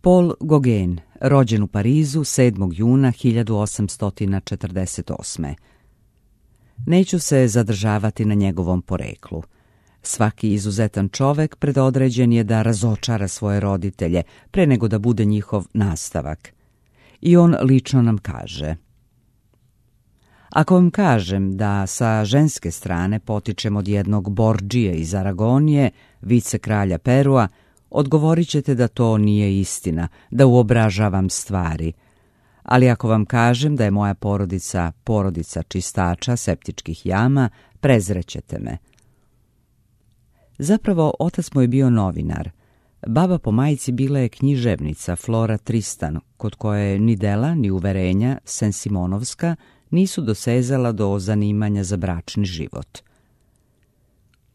Paul Gauguin, rođen u Parizu 7. juna 1848. Neću se zadržavati na njegovom poreklu. Svaki izuzetan čovek predodređen je da razočara svoje roditelje pre nego da bude njihov nastavak. I on lično nam kaže: ako vam kažem da sa ženske strane potičem od jednog Bordžije iz Aragonije, vice kralja Perua, odgovorit ćete da to nije istina, da uobražavam stvari. Ali ako vam kažem da je moja porodica porodica čistača septičkih jama, prezrećete me. Zapravo, otac mu je bio novinar. Baba po majici bila je književnica Flora Tristan, kod koje ni dela ni uverenja Sensimonovska nisu dosezala do zanimanja za bračni život.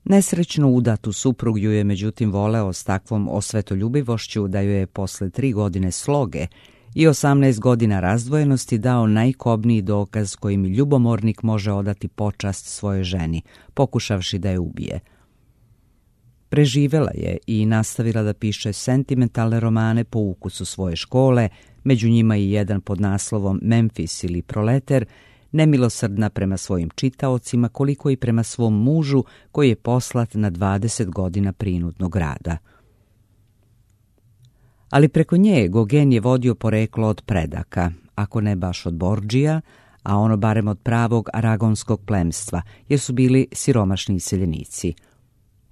Nesrećno udatu suprug ju je međutim voleo s takvom osvetoljubivošću da ju je posle 3 godine sloge i 18 godina razdvojenosti dao najkobniji dokaz kojim ljubomornik može odati počast svojoj ženi, pokušavši da je ubije. Preživela je i nastavila da piše sentimentalne romane po ukusu svoje škole, među njima i jedan pod naslovom Memfis ili Proleter, nemilosrdna prema svojim čitaocima koliko i prema svom mužu koji je poslat na 20 godina prinudnog rada. Ali preko nje Gauguin je vodio poreklo od predaka, ako ne baš od Bordžija, a ono barem od pravog aragonskog plemstva, jer su bili siromašni iseljenici.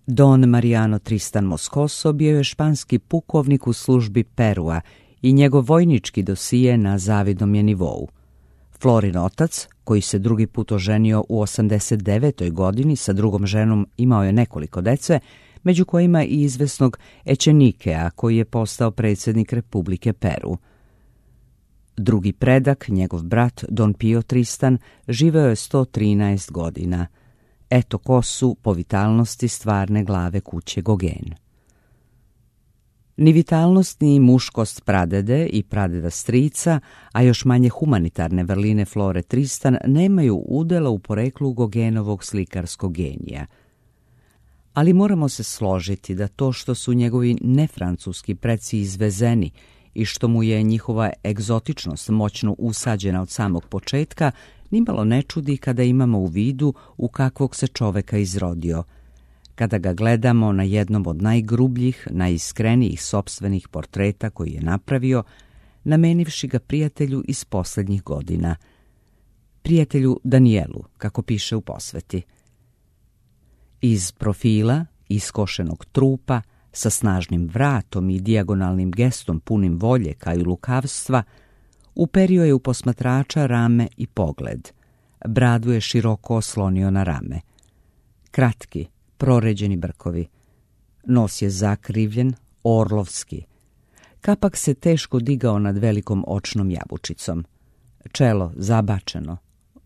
Don Mariano Tristan Moscoso bio je španski pukovnik u službi Perua i njegov vojnički dosije na zavidnom je nivou. Florin otac, koji se drugi put oženio u 89. godini sa drugom ženom, imao je nekoliko dece, među kojima i izvesnog Echenikea, koji je postao predsjednik Republike Peru. Drugi predak, njegov brat Don Pio Tristan, živeo je 113 godina. Eto ko su po vitalnosti stvarne glave kuće Gauguin. Ni vitalnost ni muškost pradede i pradeda strica, a još manje humanitarne vrline Flore Tristan nemaju udela u poreklu Gauguinovog slikarskog genija. Ali moramo se složiti da to što su njegovi nefrancuski preci izvezeni i što mu je njihova egzotičnost moćno usađena od samog početka, nimalo ne čudi kada imamo u vidu u kakvog se čoveka izrodio, kada ga gledamo na jednom od najgrubljih, najiskrenijih sopstvenih portreta koji je napravio, namenivši ga prijatelju iz posljednjih godina. Prijatelju Danielu, kako piše u posveti. Iz profila, iskošenog trupa, sa snažnim vratom i dijagonalnim gestom punim volje kao i lukavstva, uperio je u posmatrača rame i pogled. Bradu je široko oslonio na rame. Kratki, proređeni brkovi. Nos je zakrivljen, orlovski. Kapak se teško digao nad velikom očnom jabučicom. Čelo zabačeno.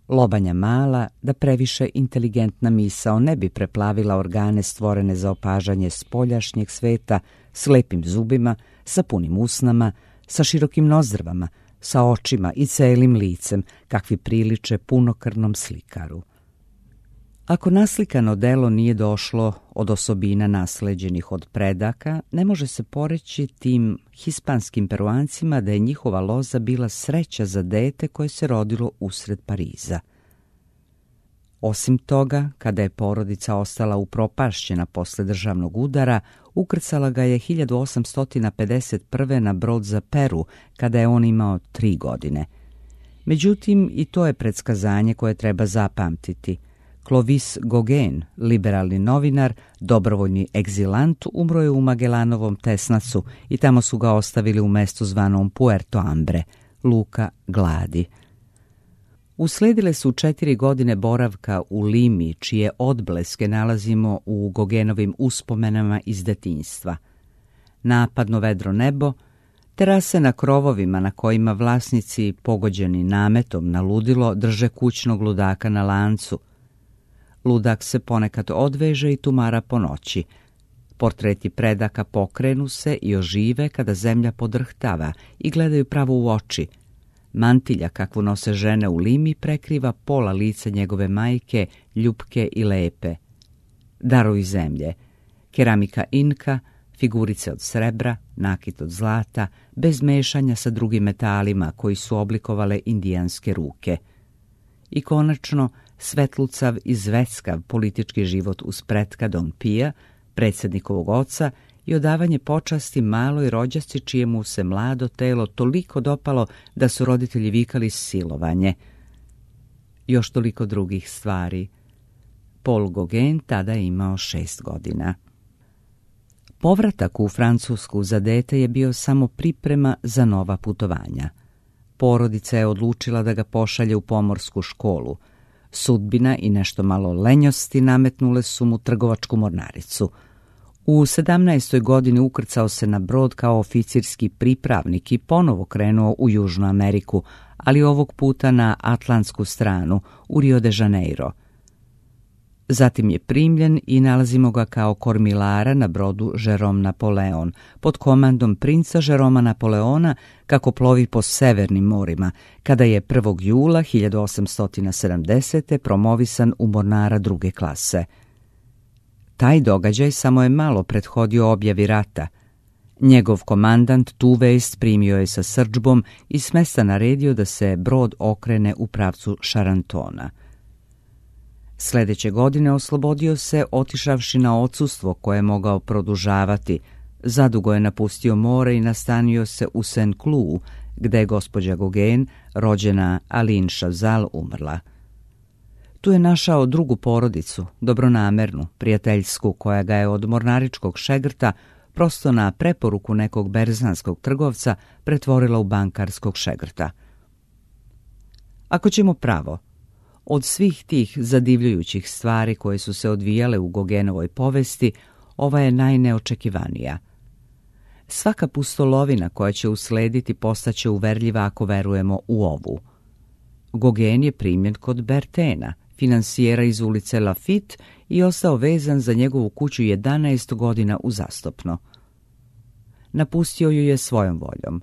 Lobanja mala, da previše inteligentna misao ne bi preplavila organe stvorene za opažanje spoljašnjeg sveta, s lepim zubima, sa punim usnama, sa širokim nozdrvama, sa očima i celim licem, kakvi priliče punokrvnom slikaru. Ako naslikano delo nije došlo od osobina nasleđenih od predaka, ne može se poreći tim hispanskim Peruancima da je njihova loza bila sreća za dete koje se rodilo usred Pariza. Osim toga, kada je porodica ostala upropašćena posle državnog udara, ukrcala ga je 1851. na brod za Peru, kada je on imao 3 godine. Međutim, i to je predskazanje koje treba zapamtiti. Clovis Gauguin, liberalni novinar, dobrovoljni egzilant, umro je u Magellanovom Tesnacu i tamo su ga ostavili u mestu zvanom Puerto Hambre, luka gladi. Usledile su 4 godine boravka u Limi, čije odbleske nalazimo u Gauguinovim uspomenama iz detinjstva. Napadno vedro nebo, terase na krovovima na kojima vlasnici, pogođeni nametom na ludilo, drže kućnog ludaka na lancu. Ludak se ponekad odveže i tumara po noći. Portreti predaka pokrenu se i ožive kada zemlja podrhtava i gledaju pravo u oči. Mantilja kakvu nose žene u Limi prekriva pola lica njegove majke, ljupke i lepe. Darovi zemlje, keramika Inka, figurice od srebra, nakit od zlata, bez mešanja sa drugim metalima koji su oblikovale indijanske ruke. I konačno, svetlucav i zveckav politički život uz pretka Don Pija, predsjednikovog oca, i odavanje počasti maloj rođaci čijemu se mlado telo toliko dopalo da su roditelji vikali silovanje. Još toliko drugih stvari. Paul Gauguin tada je imao 6 godina. Povratak u Francusku za dete je bio samo priprema za nova putovanja. Porodica je odlučila da ga pošalje u pomorsku školu. Sudbina i nešto malo lenjosti nametnule su mu trgovačku mornaricu. U 17. godini ukrcao se na brod kao oficirski pripravnik i ponovo krenuo u Južnu Ameriku, ali ovog puta na atlantsku stranu, u Rio de Janeiro. Zatim je primljen i nalazimo ga kao kormilara na brodu Jerome Napoleon, pod komandom princa Jeroma Napoleona, kako plovi po severnim morima, kada je 1. jula 1870. promovisan u mornara druge klase. Taj događaj samo je malo prethodio objavi rata. Njegov komandant tu vest primio je sa srdžbom i s mesta naredio da se brod okrene u pravcu Šarantona. Sljedeće godine oslobodio se otišavši na odsustvo koje je mogao produžavati. Zadugo je napustio more i nastanio se u Saint-Cloud, gde je gospođa Gauguin, rođena Aline Chazal, umrla. Tu je našao drugu porodicu, dobronamernu, prijateljsku, koja ga je od mornaričkog šegrta prosto na preporuku nekog berzanskog trgovca pretvorila u bankarskog šegrta. Ako ćemo pravo, od svih tih zadivljujućih stvari koje su se odvijale u Gauguinovoj povesti, ova je najneočekivanija. Svaka pustolovina koja će uslediti postaće uverljiva ako verujemo u ovu. Gauguin je primljen kod Bertena, finansijera iz ulice Lafitte, i ostao vezan za njegovu kuću 11 godina uzastopno. Napustio ju je svojom voljom.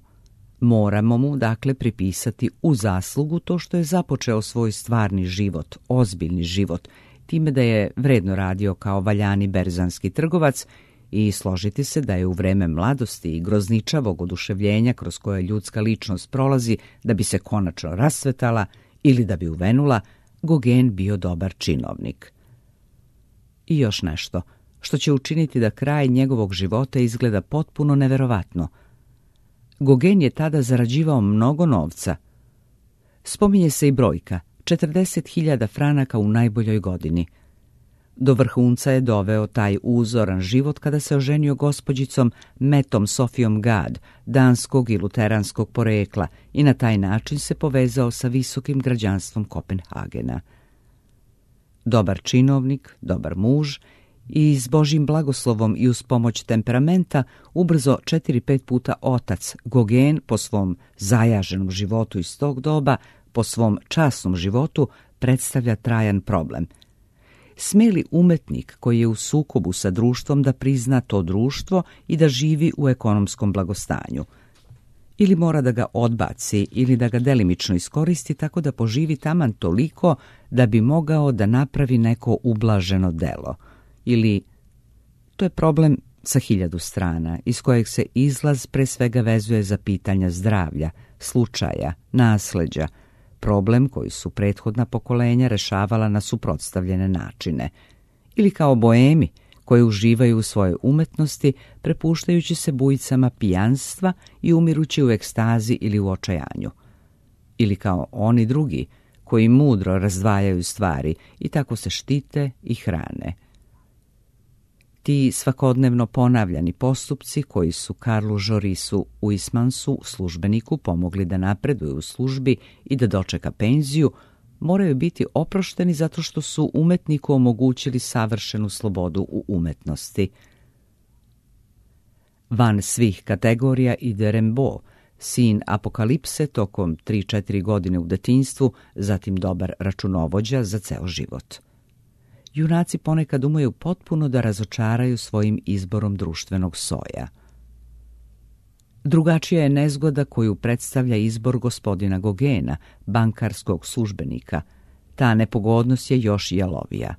Moramo mu, dakle, pripisati u zaslugu to što je započeo svoj stvarni život, ozbiljni život, time da je vredno radio kao valjani berzanski trgovac i složiti se da je u vreme mladosti i grozničavog oduševljenja kroz koje ljudska ličnost prolazi da bi se konačno rasvetala ili da bi uvenula, Gauguin bio dobar činovnik. I još nešto, što će učiniti da kraj njegovog života izgleda potpuno neverovatno. Gauguin je tada zarađivao mnogo novca. Spominje se i brojka, 40.000 franaka u najboljoj godini. Do vrhunca je doveo taj uzoran život kada se oženio gospođicom Metom Sofijom Gad, danskog i luteranskog porekla, i na taj način se povezao sa visokim građanstvom Kopenhagena. Dobar činovnik, dobar muž i s Božjim blagoslovom i uz pomoć temperamenta ubrzo 4-5 puta otac, Gauguin po svom zajaženom životu iz tog doba, po svom časnom životu, predstavlja trajan problem. Smije li umetnik koji je u sukobu sa društvom da prizna to društvo i da živi u ekonomskom blagostanju? Ili mora da ga odbaci ili da ga delimično iskoristi tako da poživi taman toliko da bi mogao da napravi neko ublaženo delo? Ili, to je problem sa 1000 strana, iz kojeg se izlaz pre svega vezuje za pitanja zdravlja, slučaja, nasleđa, problem koji su prethodna pokolenja rešavala na suprotstavljene načine. Ili kao boemi koji uživaju u svojoj umetnosti, prepuštajući se bujicama pijanstva i umirući u ekstazi ili u očajanju. Ili kao oni drugi koji mudro razdvajaju stvari i tako se štite i hrane. Ti svakodnevno ponavljani postupci koji su Karlu Jorisu Huysmansu, službeniku, pomogli da napreduje u službi i da dočeka penziju, moraju biti oprošteni zato što su umetniku omogućili savršenu slobodu u umetnosti. Van svih kategorija ide Rimbaud, sin apokalipse tokom 3-4 godine u detinjstvu, zatim dobar računovođa za ceo život. Junaci ponekad umeju potpuno da razočaraju svojim izborom društvenog soja. Drugačija je nezgoda koju predstavlja izbor gospodina Gauguina, bankarskog službenika. Ta nepogodnost je još jalovija.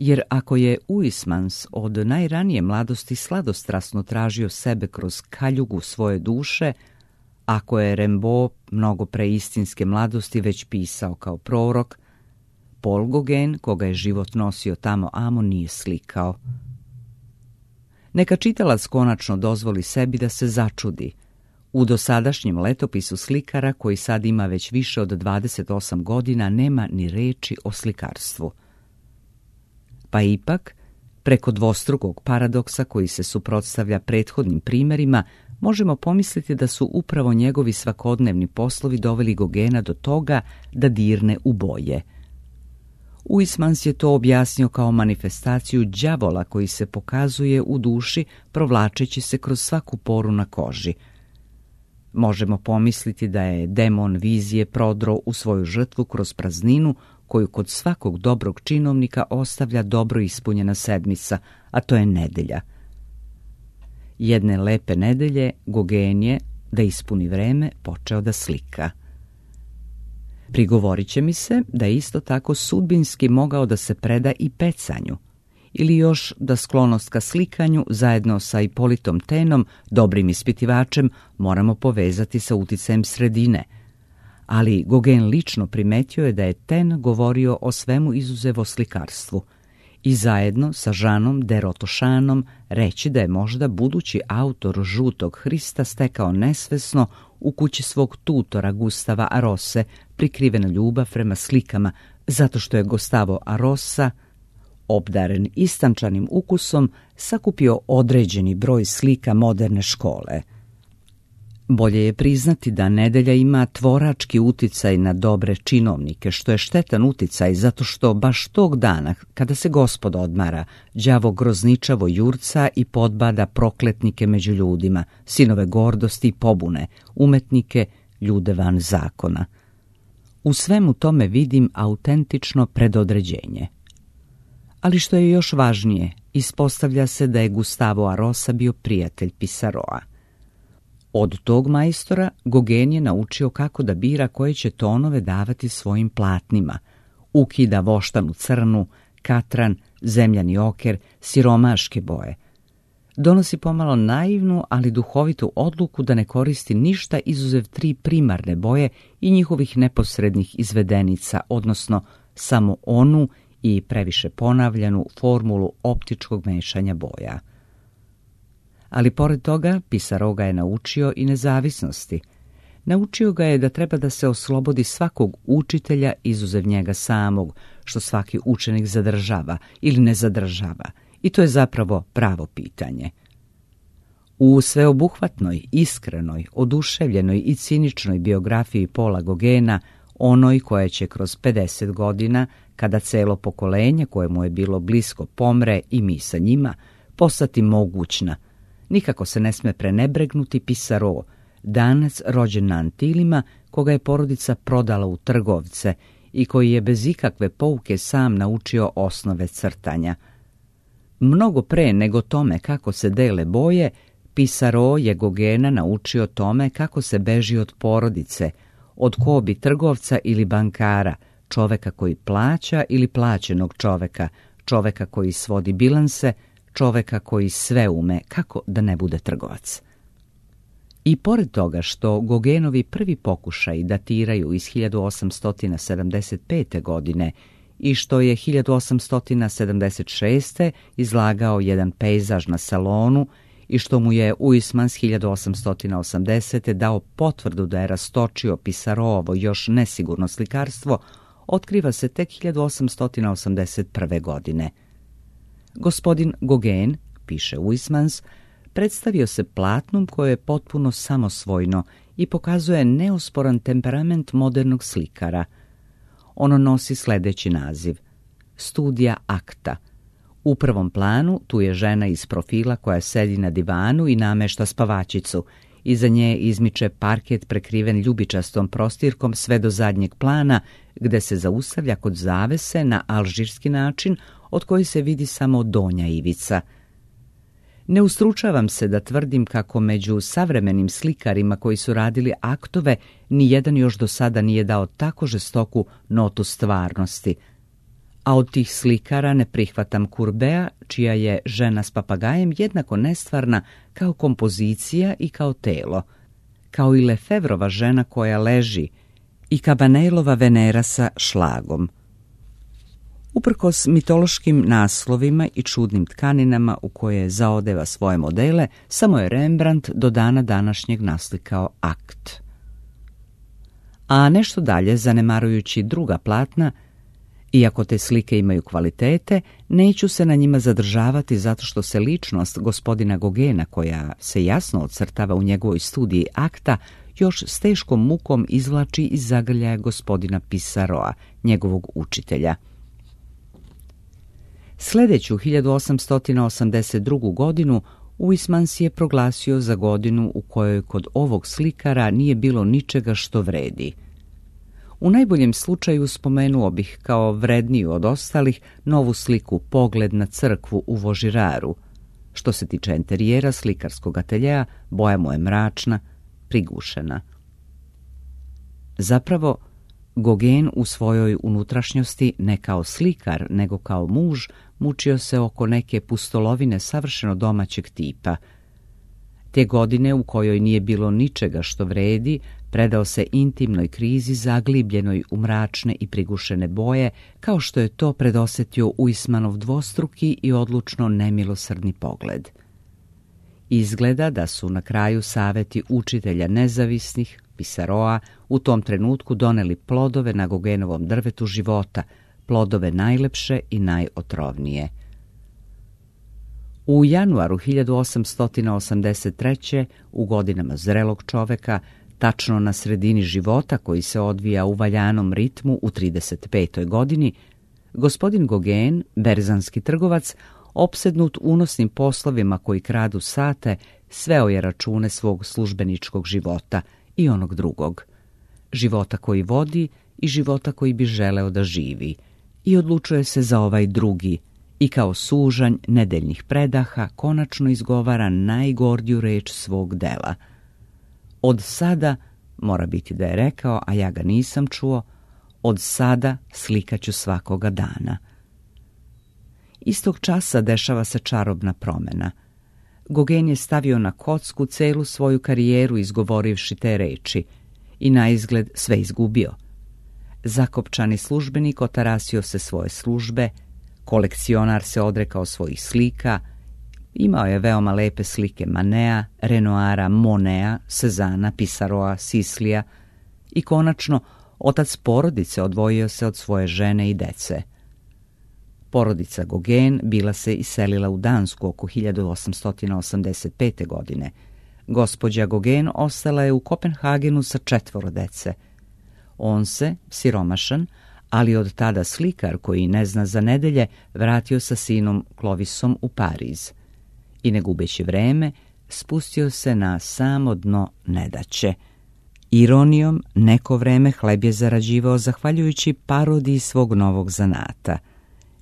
Jer ako je Huysmans od najranije mladosti sladostrasno tražio sebe kroz kaljugu svoje duše, ako je Rimbaud mnogo pre istinske mladosti već pisao kao prorok, Paul Gauguin, koga je život nosio tamo amo, nije slikao. Neka čitalac konačno dozvoli sebi da se začudi. U dosadašnjem letopisu slikara, koji sad ima već više od 28 godina, nema ni reči o slikarstvu. Pa ipak, preko dvostrukog paradoksa koji se suprotstavlja prethodnim primjerima, možemo pomisliti da su upravo njegovi svakodnevni poslovi doveli Gauguina do toga da dirne u boje. Huysmans je to objasnio kao manifestaciju đavola koji se pokazuje u duši provlačeći se kroz svaku poru na koži. Možemo pomisliti da je demon vizije prodro u svoju žrtvu kroz prazninu koju kod svakog dobrog činovnika ostavlja dobro ispunjena sedmica, a to je nedelja. Jedne lepe nedelje Gauguin je, da ispuni vreme, počeo da slika. Prigovorit će mi se da je isto tako sudbinski mogao da se preda i pecanju, ili još da sklonost ka slikanju zajedno sa Ipolitom Taineom, dobrim ispitivačem, moramo povezati sa uticajem sredine. Ali Gauguin lično primetio je da je Taine govorio o svemu izuzev o slikarstvu i zajedno sa Jeanom de Rotošanom reći da je možda budući autor Žutog Hrista stekao nesvesno u kući svog tutora Gustava Arose prikrivena ljubav prema slikama, zato što je Gustavo Arosa, obdaren istančanim ukusom, sakupio određeni broj slika moderne škole. Bolje je priznati da nedelja ima tvorački uticaj na dobre činovnike, što je štetan uticaj zato što baš tog dana, kada se Gospod odmara, đavo grozničavo jurca i podbada prokletnike među ljudima, sinove gordosti i pobune, umetnike, ljude van zakona. U svemu tome vidim autentično predodređenje. Ali što je još važnije, ispostavlja se da je Gustavo Arosa bio prijatelj Pisaroa. Od tog majstora Gauguin je naučio kako da bira koje će tonove davati svojim platnima. Ukida voštanu crnu, katran, zemljani oker, siromaške boje. Donosi pomalo naivnu, ali duhovitu odluku da ne koristi ništa izuzev 3 primarne boje i njihovih neposrednih izvedenica, odnosno samo onu i previše ponavljanu formulu optičkog mešanja boja. Ali pored toga, Pissarro ga je naučio i nezavisnosti. Naučio ga je da treba da se oslobodi svakog učitelja izuzev njega samog, što svaki učenik zadržava ili ne zadržava, i to je zapravo pravo pitanje. U sveobuhvatnoj, iskrenoj, oduševljenoj i ciničnoj biografiji Paula Gauguina, onoj koja će kroz 50 godina, kada celo pokolenje kojemu je bilo blisko pomre i mi sa njima, postati mogućna, nikako se ne sme prenebregnuti Pissarro, danac rođen na Antilima, koga je porodica prodala u trgovce i koji je bez ikakve pouke sam naučio osnove crtanja. Mnogo pre nego tome kako se dele boje, Pissarro je Gauguina naučio tome kako se beži od porodice, od kobi trgovca ili bankara, čoveka koji plaća ili plaćenog čoveka, čoveka koji svodi bilanse, čoveka koji sve ume, kako da ne bude trgovac. I pored toga što Gauguinovi prvi pokušaji datiraju iz 1875. godine i što je 1876. izlagao jedan pejzaž na salonu i što mu je Huysmans 1880. dao potvrdu da je rastočio Pissarrovo još nesigurno slikarstvo, otkriva se tek 1881. godine. Gospodin Gauguin, piše Huysmans, predstavio se platnom koje je potpuno samosvojno i pokazuje neosporan temperament modernog slikara. Ono nosi sledeći naziv: Studija akta. U prvom planu tu je žena iz profila koja sedi na divanu i namešta spavačicu. Iza nje izmiče parket prekriven ljubičastom prostirkom sve do zadnjeg plana, gde se zaustavlja kod zavese na alžirski način, od koji se vidi samo donja ivica. Ne ustručavam se da tvrdim kako među savremenim slikarima koji su radili aktove ni jedan još do sada nije dao tako žestoku notu stvarnosti. A od tih slikara ne prihvatam Courbeta, čija je Žena s papagajem jednako nestvarna kao kompozicija i kao telo, kao i Lefevrova Žena koja leži i Cabanelova Venera sa šlagom. Uprkos mitološkim naslovima i čudnim tkaninama u koje zaodeva svoje modele, samo je Rembrandt do dana današnjeg naslikao akt. A nešto dalje, zanemarujući druga platna, iako te slike imaju kvalitete, neću se na njima zadržavati zato što se ličnost gospodina Gauguina, koja se jasno ocrtava u njegovoj studiji akta, još s teškom mukom izvlači iz zagrljaja gospodina Pissaroa, njegovog učitelja. Sljedeću 1882. godinu Huysmans je proglasio za godinu u kojoj kod ovog slikara nije bilo ničega što vredi. U najboljem slučaju spomenuo bih kao vredniju od ostalih novu sliku Pogled na crkvu u Vaugiraru. Što se tiče interijera slikarskog ateljea, boja mu je mračna, prigušena. Zapravo, Gauguin u svojoj unutrašnjosti ne kao slikar, nego kao muž, mučio se oko neke pustolovine savršeno domaćeg tipa. Te godine u kojoj nije bilo ničega što vredi, predao se intimnoj krizi zaglibljenoj u mračne i prigušene boje, kao što je to predosjetio Huysmanov dvostruki i odlučno nemilosrdni pogled. Izgleda da su na kraju saveti učitelja nezavisnih, Pissaroa, u tom trenutku doneli plodove na Gauguinovom drvetu života, plodove najlepše i najotrovnije. U januaru 1883. u godinama zrelog čoveka, tačno na sredini života koji se odvija u valjanom ritmu u 35. godini, gospodin Gauguin, berzanski trgovac, opsednut unosnim poslovima koji kradu sate, sveo je račune svog službeničkog života i onog drugog, života koji vodi i života koji bi želeo da živi, i odlučuje se za ovaj drugi, i kao sužanj nedeljnih predaha konačno izgovara najgordiju reč svog dela. Od sada, mora biti da je rekao, a ja ga nisam čuo, od sada slikaću svakoga dana. Istog časa dešava se čarobna promjena. Gauguin je stavio na kocku celu svoju karijeru izgovorivši te reči i naizgled sve izgubio. Zakopčani službenik otarasio se svoje službe, kolekcionar se odrekao svojih slika, imao je veoma lepe slike Manea, Renoira, Monea, Cezana, Pissaroa, Sislija i konačno otac porodice odvojio se od svoje žene i dece. Porodica Gauguin bila se iselila u Dansku oko 1885. godine. Gospođa Gauguin ostala je u Kopenhagenu sa 4 dece. On se, siromašan, ali od tada slikar koji ne zna za nedelje, vratio sa sinom Clovisom u Pariz i ne gubeći vreme spustio se na samo dno nedaće. Ironijom, neko vreme hleb je zarađivao zahvaljujući parodiji svog novog zanata.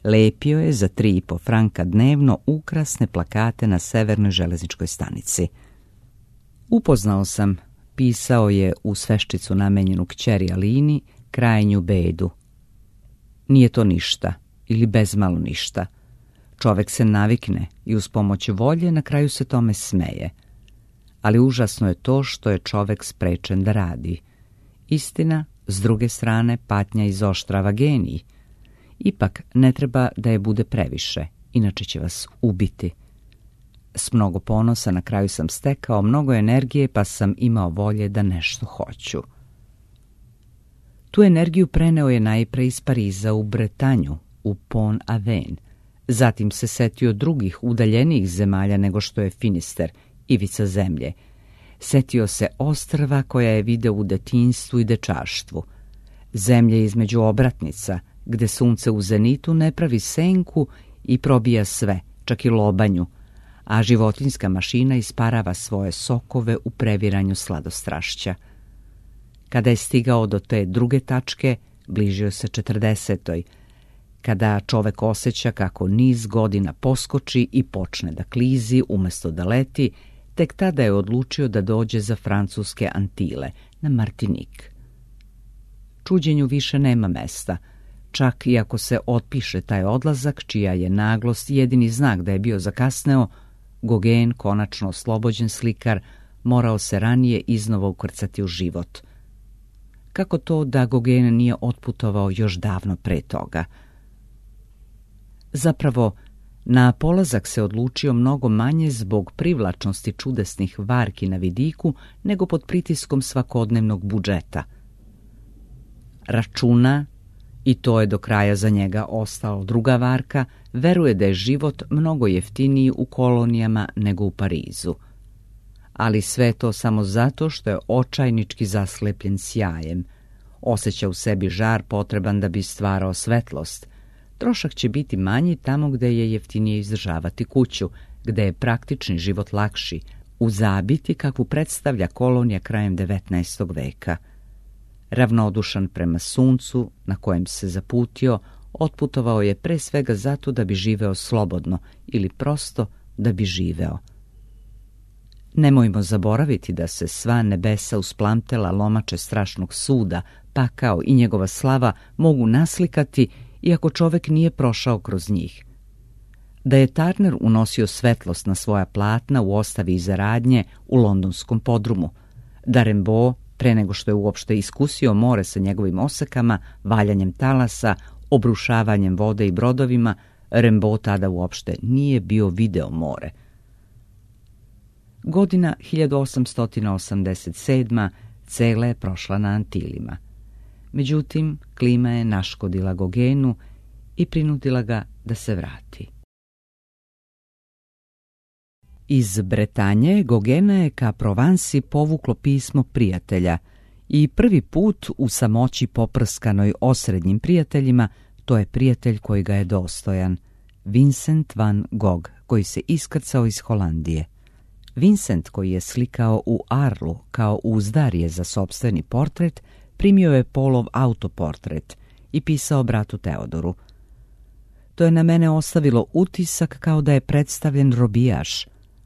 Lepio je za 3,5 franka dnevno ukrasne plakate na severnoj železničkoj stanici. Upoznao sam, pisao je u sveščicu namenjenu kćeri Alini, krajnju bedu. Nije to ništa, ili bezmalo ništa. Čovek se navikne i uz pomoć volje na kraju se tome smeje. Ali užasno je to što je čovek sprečen da radi. Istina, s druge strane, patnja izoštrava genij. Ipak ne treba da je bude previše, inače će vas ubiti. S mnogo ponosa na kraju sam stekao mnogo energije, pa sam imao volje da nešto hoću. Tu energiju preneo je najpre iz Pariza u Bretanju, u Pont-Aven. Zatim se setio drugih udaljenijih zemalja nego što je Finister, ivica zemlje. Setio se ostrva koja je video u detinjstvu i dečaštvu. Zemlje između obratnica, gde sunce u zenitu ne pravi senku i probija sve, čak i lobanju, a životinjska mašina isparava svoje sokove u previranju sladostrašća. Kada je stigao do te druge tačke, bližio se 40. Kada čovek osjeća kako niz godina poskoči i počne da klizi umjesto da leti, tek tada je odlučio da dođe za francuske Antile, na Martinik. Čuđenju više nema mesta. Čak i ako se otpiše taj odlazak, čija je naglost jedini znak da je bio zakasneo, Gauguin, konačno oslobođen slikar, morao se ranije iznova ukrcati u život. Kako to da Gauguin nije otputovao još davno pre toga? Zapravo, na polazak se odlučio mnogo manje zbog privlačnosti čudesnih varki na vidiku nego pod pritiskom svakodnevnog budžeta. Računa, i to je do kraja za njega ostalo druga varka, veruje da je život mnogo jeftiniji u kolonijama nego u Parizu. Ali sve to samo zato što je očajnički zaslepljen sjajem. Osjeća u sebi žar potreban da bi stvarao svetlost. Trošak će biti manji tamo gde je jeftinije izdržavati kuću, gde je praktični život lakši, u zabiti kakvu predstavlja kolonija krajem 19. veka. Ravnodušan prema suncu na kojem se zaputio, otputovao je pre svega zato da bi živeo slobodno ili prosto da bi živeo. Nemojmo zaboraviti da se sva nebesa usplamtela lomače strašnog suda, pakao i njegova slava mogu naslikati iako čovek nije prošao kroz njih. Da je Turner unosio svetlost na svoja platna u ostavi iza radnje u londonskom podrumu, da Rimbaud, pre nego što je uopšte iskusio more sa njegovim osekama, valjanjem talasa, obrušavanjem vode i brodovima, Rimbaud tada uopšte nije bio video more. Godina 1887. cela je prošla na Antilima. Međutim, klima je naškodila Gauguinu i prinudila ga da se vrati. Iz Bretanje Gauguina je ka Provansi povuklo pismo prijatelja i prvi put u samoći poprskanoj osrednjim prijateljima, to je prijatelj koji ga je dostojan, Vincent van Gogh, koji se iskrcao iz Holandije. Vincent, koji je slikao u Arlu kao uzdarje za sopstveni portret, primio je Paulov autoportret i pisao bratu Teodoru. To je na mene ostavilo utisak kao da je predstavljen robijaš,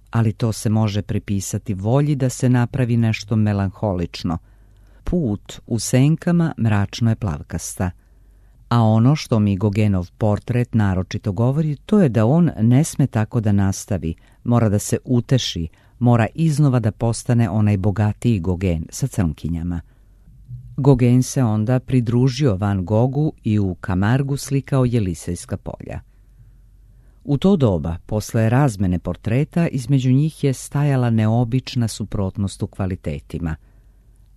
ali to se može pripisati volji da se napravi nešto melanholično. Put u senkama mračno je plavkasta. A ono što mi Gauguinov portret naročito govori, to je da on ne sme tako da nastavi, mora da se uteši, mora iznova da postane onaj bogatiji Gauguin sa crnkinjama. Gauguin se onda pridružio Van Goghu i u Camargu slikao Jelisejska polja. U to doba, posle razmene portreta, između njih je stajala neobična suprotnost u kvalitetima.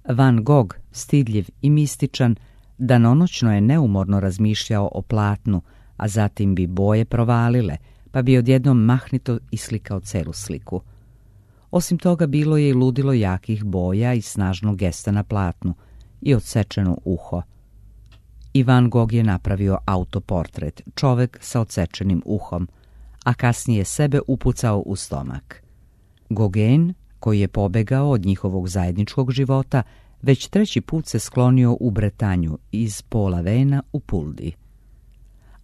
Van Gogh, stidljiv i mističan, danonoćno je neumorno razmišljao o platnu, a zatim bi boje provalile, pa bi odjednom mahnito islikao celu sliku. Osim toga, bilo je i ludilo jakih boja i snažnog gesta na platnu i odsečeno uho. I Van Gogh je napravio autoportret, čovek sa odsečenim uhom, a kasnije sebe upucao u stomak. Gauguin, koji je pobegao od njihovog zajedničkog života, već treći put se sklonio u Bretanju iz Pola Vena u Puldi.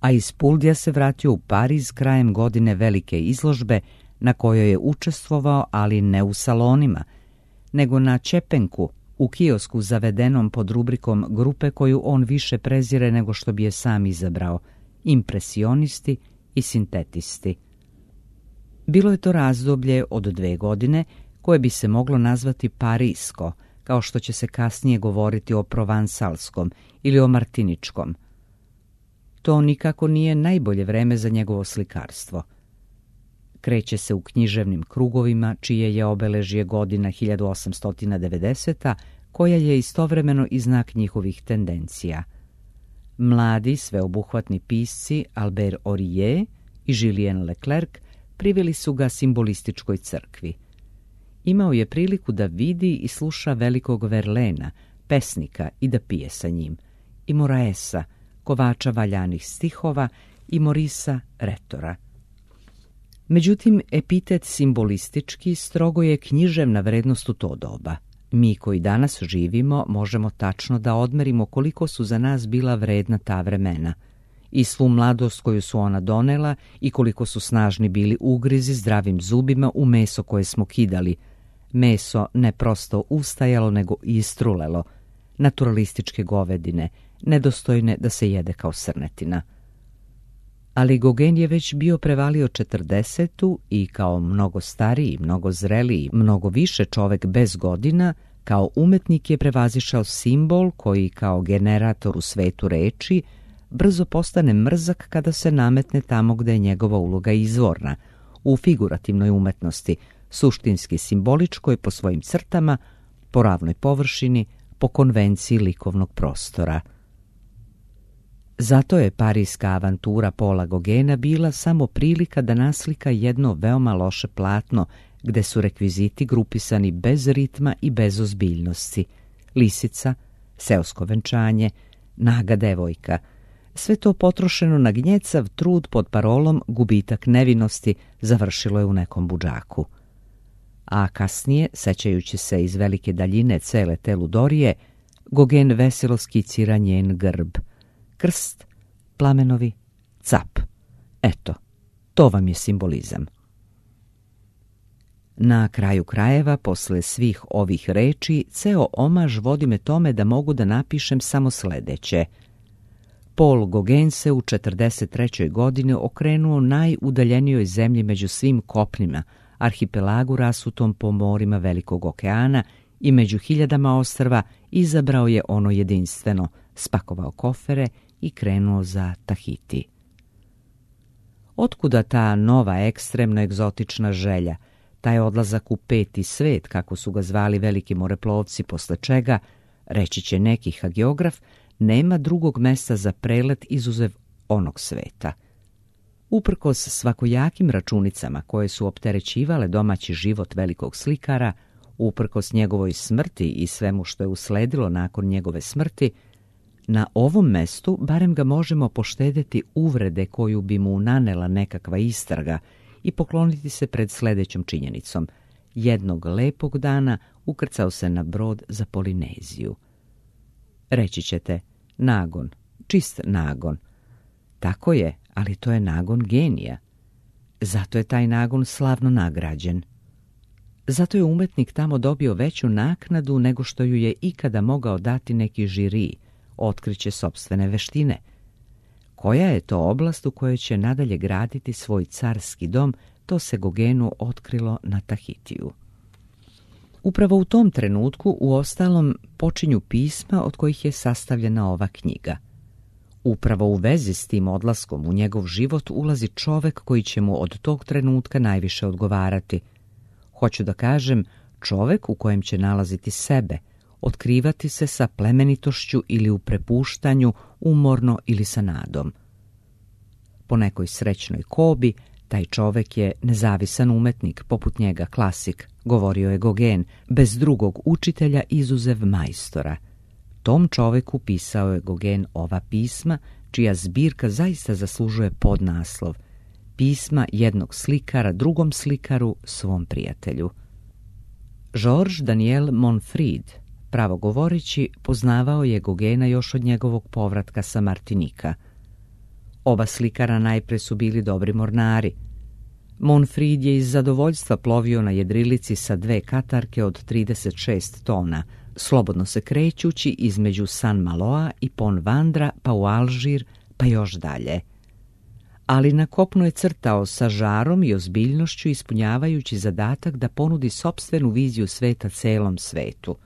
A iz Puldija se vratio u Pariz krajem godine velike izložbe na kojoj je učestvovao, ali ne u salonima, nego na Čepenku, u kiosku zavedenom pod rubrikom grupe koju on više prezire nego što bi je sam izabrao, impresionisti i sintetisti. Bilo je to razdoblje od 2 godine koje bi se moglo nazvati parisko, kao što će se kasnije govoriti o provansalskom ili o martiničkom. To nikako nije najbolje vreme za njegovo slikarstvo. Kreće se u književnim krugovima, čije je obeležje godina 1890, koja je istovremeno i znak njihovih tendencija. Mladi, sveobuhvatni pisci Albert Aurier i Julien Leclerc priveli su ga simbolističkoj crkvi. Imao je priliku da vidi i sluša velikog Verlaina, pesnika, i da pije sa njim, i Moraesa, kovača valjanih stihova, i Morisa, retora. Međutim, epitet simbolistički strogo je književna vrednost u to doba. Mi koji danas živimo možemo tačno da odmerimo koliko su za nas bila vredna ta vremena i svu mladost koju su ona donela i koliko su snažni bili ugrizi zdravim zubima u meso koje smo kidali. Meso ne prosto ustajalo nego istrulelo, naturalističke govedine, nedostojne da se jede kao srnetina. Ali Gauguin je već bio prevalio 40 i kao mnogo stariji, mnogo zreliji, mnogo više čovek bez godina, kao umetnik je prevazišao simbol koji kao generator u svetu reči brzo postane mrzak kada se nametne tamo gde je njegova uloga izvorna, u figurativnoj umetnosti, suštinski simboličkoj po svojim crtama, po ravnoj površini, po konvenciji likovnog prostora. Zato je parijska avantura Paula Gauguina bila samo prilika da naslika jedno veoma loše platno, gde su rekviziti grupisani bez ritma i bez ozbiljnosti. Lisica, seosko venčanje, naga devojka. Sve to potrošeno na gnjecav trud pod parolom gubitak nevinosti završilo je u nekom budžaku. A kasnije, sećajući se iz velike daljine cele te ludorije, Gauguin veselo skicira njen grb. Krst, plamenovi, cap. Eto, to vam je simbolizam. Na kraju krajeva, posle svih ovih reči, ceo omaž vodi me tome da mogu da napišem samo sledeće. Paul Gauguin se u 43. godini okrenuo najudaljenijoj zemlji među svim kopnima, arhipelagu rasutom po morima Velikog okeana i među hiljadama ostrva izabrao je ono jedinstveno, spakovao kofere i krenuo za Tahiti. Otkuda ta nova ekstremno egzotična želja, taj odlazak u peti svet, kako su ga zvali veliki moreplovci, posle čega, reći će neki hagiograf, nema drugog mesta za prelet izuzev onog sveta. Uprkos svakojakim računicama koje su opterećivale domaći život velikog slikara, uprkos njegovoj smrti i svemu što je usledilo nakon njegove smrti, na ovom mestu barem ga možemo poštedeti uvrede koju bi mu nanela nekakva istraga i pokloniti se pred sledećom činjenicom. Jednog lepog dana ukrcao se na brod za Polineziju. Reći ćete, nagon, čist nagon. Tako je, ali to je nagon genija. Zato je taj nagon slavno nagrađen. Zato je umetnik tamo dobio veću naknadu nego što ju je ikada mogao dati neki žiri, otkriće sopstvene veštine. Koja je to oblast u kojoj će nadalje graditi svoj carski dom, to se Gauguinu otkrilo na Tahitiju. Upravo u tom trenutku, uostalom, počinju pisma od kojih je sastavljena ova knjiga. Upravo u vezi s tim odlaskom u njegov život ulazi čovek koji će mu od tog trenutka najviše odgovarati. Hoću da kažem, čovek u kojem će nalaziti sebe, otkrivati se sa plemenitošću ili u prepuštanju, umorno ili sa nadom. Po nekoj srećnoj kobi, taj čovek je nezavisan umetnik, poput njega klasik, govorio je Gauguin, bez drugog učitelja izuzev majstora. Tom čoveku pisao je Gauguin ova pisma, čija zbirka zaista zaslužuje podnaslov Pisma jednog slikara drugom slikaru, svom prijatelju. Georges Daniel Monfrid, pravo govoreći, poznavao je Gauguina još od njegovog povratka sa Martinika. Oba slikara najpre su bili dobri mornari. Monfrid je iz zadovoljstva plovio na jedrilici sa 2 katarke od 36 tona, slobodno se krećući između San Maloa i Pont Vandra, pa u Alžir, pa još dalje. Ali na kopnu je crtao sa žarom i ozbiljnošću, ispunjavajući zadatak da ponudi sopstvenu viziju sveta celom svetu.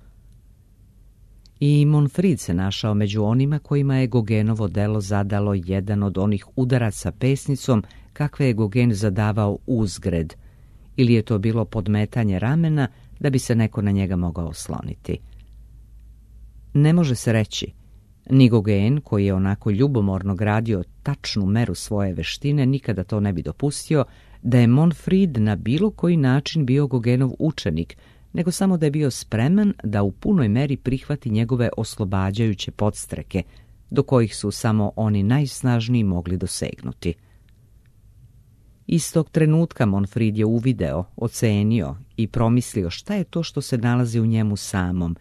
I Monfrid se našao među onima kojima je Gauguinovo delo zadalo jedan od onih udaraca pesnicom kakve je Gauguin zadavao uzgred, ili je to bilo podmetanje ramena da bi se neko na njega mogao osloniti. Ne može se reći, ni Gauguin, koji je onako ljubomorno gradio tačnu meru svoje veštine, nikada to ne bi dopustio, da je Monfrid na bilo koji način bio Gauguinov učenik, nego samo da je bio spreman da u punoj meri prihvati njegove oslobađajuće podstreke, do kojih su samo oni najsnažniji mogli dosegnuti. Istog trenutka Monfrid je uvideo, ocenio i promislio šta je to što se nalazi u njemu samom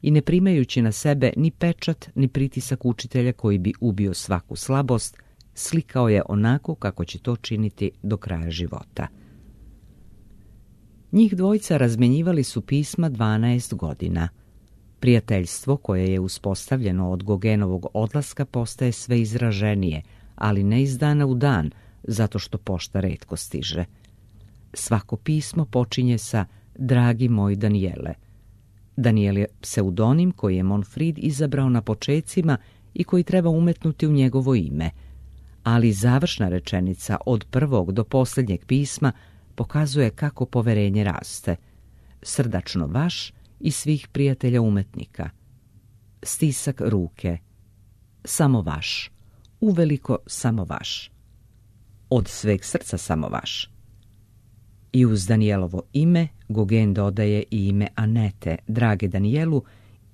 i ne primajući na sebe ni pečat ni pritisak učitelja koji bi ubio svaku slabost, slikao je onako kako će to činiti do kraja života. Njih dvojica razmenjivali su pisma 12 godina. Prijateljstvo koje je uspostavljeno od Gogenovog odlaska postaje sve izraženije, ali ne iz dana u dan, zato što pošta retko stiže. Svako pismo počinje sa dragi moj Daniele. Daniel je pseudonim koji je Monfrid izabrao na počecima i koji treba umetnuti u njegovo ime, ali završna rečenica od prvog do posljednjeg pisma pokazuje kako poverenje raste. Srdačno vaš i svih prijatelja umetnika. Stisak ruke. Samo vaš. Uveliko samo vaš. Od sveg srca samo vaš. I uz Danielovo ime Gauguin dodaje i ime Anete, drage Danielu,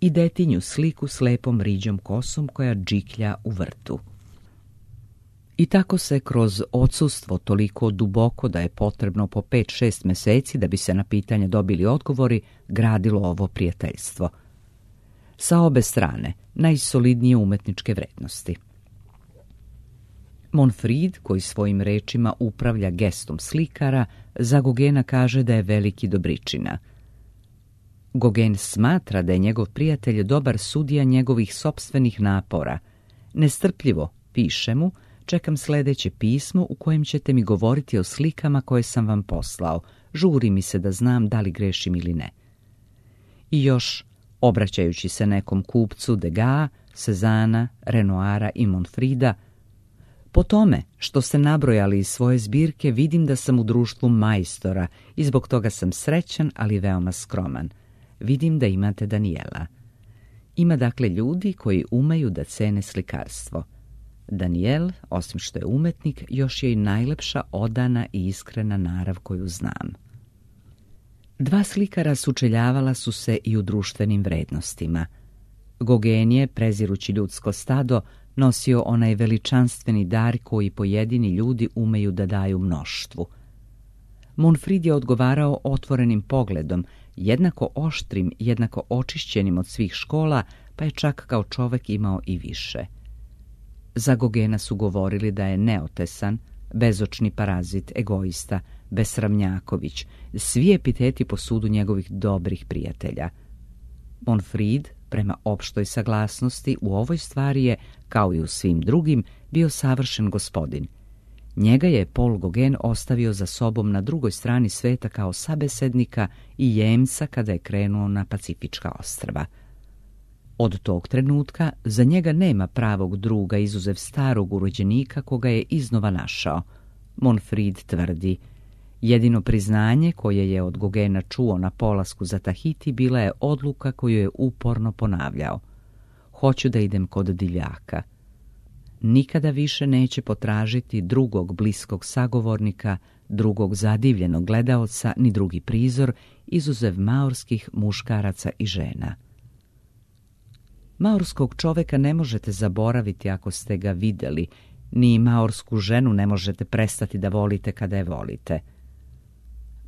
i detinju sliku s lepom riđom kosom koja džiklja u vrtu. I tako se kroz odsustvo toliko duboko da je potrebno po 5-6 meseci da bi se na pitanje dobili odgovori, gradilo ovo prijateljstvo. Sa obe strane najsolidnije umetničke vrednosti. Monfrid, koji svojim rečima upravlja gestom slikara, za Gaugena kaže da je veliki dobričina. Gauguin smatra da je njegov prijatelj dobar sudija njegovih sopstvenih napora. Nestrpljivo, piše mu, čekam sljedeće pismo u kojem ćete mi govoriti o slikama koje sam vam poslao. Žuri mi se da znam da li grešim ili ne. I još, obraćajući se nekom kupcu Degas, Cezana, Renoira i Monfrida, po tome što ste nabrojali iz svoje zbirke vidim da sam u društvu majstora i zbog toga sam srećan, ali veoma skroman. Vidim da imate Daniela. Ima dakle ljudi koji umeju da cene slikarstvo. Daniel, osim što je umetnik, još je i najlepša, odana i iskrena narav koju znam. Dva slikara sučeljavala su se i u društvenim vrednostima. Gauguin je, prezirući ljudsko stado, nosio onaj veličanstveni dar koji pojedini ljudi umeju da daju mnoštvu. Monfrid je odgovarao otvorenim pogledom, jednako oštrim, jednako očišćenim od svih škola, pa je čak kao čovek imao i više. Za Gaugena su govorili da je neotesan, bezočni parazit, egoista, besramnjaković, svi epiteti po sudu njegovih dobrih prijatelja. Monfrid, prema opštoj saglasnosti, u ovoj stvari je, kao i u svim drugim, bio savršen gospodin. Njega je Paul Gauguin ostavio za sobom na drugoj strani sveta kao sabesednika i jemca kada je krenuo na Pacifička ostrva. Od tog trenutka za njega nema pravog druga izuzev starog urođenika koga je iznova našao. Monfrid tvrdi, jedino priznanje koje je od Gaugena čuo na polasku za Tahiti bila je odluka koju je uporno ponavljao. Hoću da idem kod divljaka. Nikada više neće potražiti drugog bliskog sagovornika, drugog zadivljenog gledaoca, ni drugi prizor, izuzev maorskih muškaraca i žena. Maorskog čoveka ne možete zaboraviti ako ste ga vidjeli, ni maorsku ženu ne možete prestati da volite kada je volite.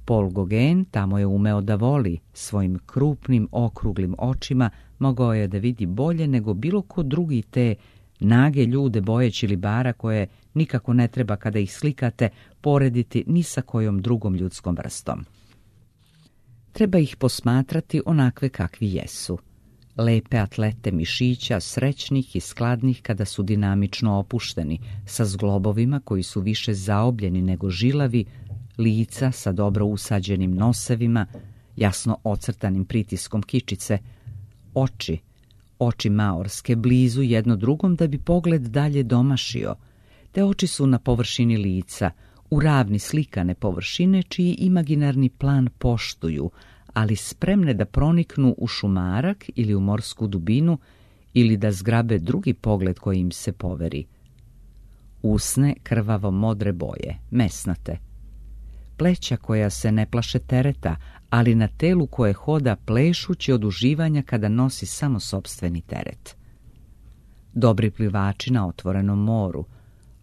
Paul Gauguin tamo je umeo da voli, svojim krupnim, okruglim očima mogao je da vidi bolje nego bilo ko drugi te nage ljude bojeći libara koje nikako ne treba kada ih slikate porediti ni sa kojom drugom ljudskom vrstom. Treba ih posmatrati onakve kakvi jesu. Lepe atlete mišića, srećnih i skladnih kada su dinamično opušteni, sa zglobovima koji su više zaobljeni nego žilavi, lica sa dobro usađenim nosevima, jasno ocrtanim pritiskom kičice, oči maorske blizu jedno drugom da bi pogled dalje domašio. Te oči su na površini lica, u ravni slikane površine čiji imaginarni plan poštuju, ali spremne da proniknu u šumarak ili u morsku dubinu ili da zgrabe drugi pogled koji im se poveri. Usne krvavo modre boje, mesnate. Pleća koja se ne plaše tereta, ali na telu koje hoda plešući od uživanja kada nosi samo sopstveni teret. Dobri plivači na otvorenom moru,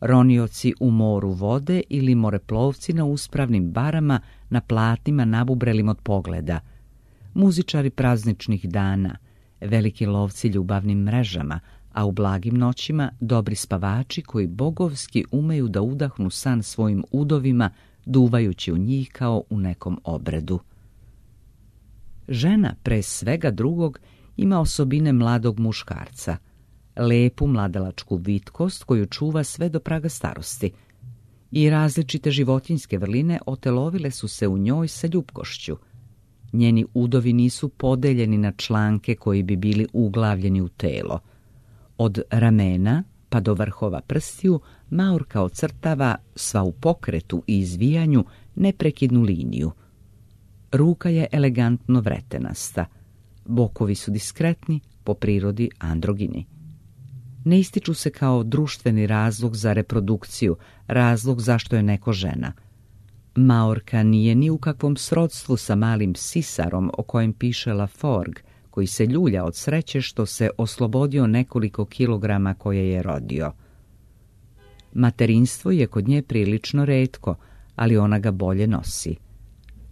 ronioci u moru vode ili moreplovci na uspravnim barama na platnima nabubrelim od pogleda, muzičari prazničnih dana, veliki lovci ljubavnim mrežama, a u blagim noćima dobri spavači koji bogovski umeju da udahnu san svojim udovima, duvajući u njih kao u nekom obredu. Žena, pre svega drugog, ima osobine mladog muškarca, lepu mladalačku vitkost koju čuva sve do praga starosti, i različite životinjske vrline otelovile su se u njoj sa ljupkošću. Njeni udovi nisu podeljeni na članke koji bi bili uglavljeni u telo. Od ramena pa do vrhova prstiju Maorka ocrtava sva u pokretu i izvijanju neprekidnu liniju. Ruka je elegantno vretenasta. Bokovi su diskretni, po prirodi androgini. Ne ističu se kao društveni razlog za reprodukciju, razlog zašto je neko žena. Maorka nije ni u kakvom srodstvu sa malim sisarom o kojem piše Laforgue, koji se ljulja od sreće što se oslobodio nekoliko kilograma koje je rodio. Materinstvo je kod nje prilično retko, ali ona ga bolje nosi.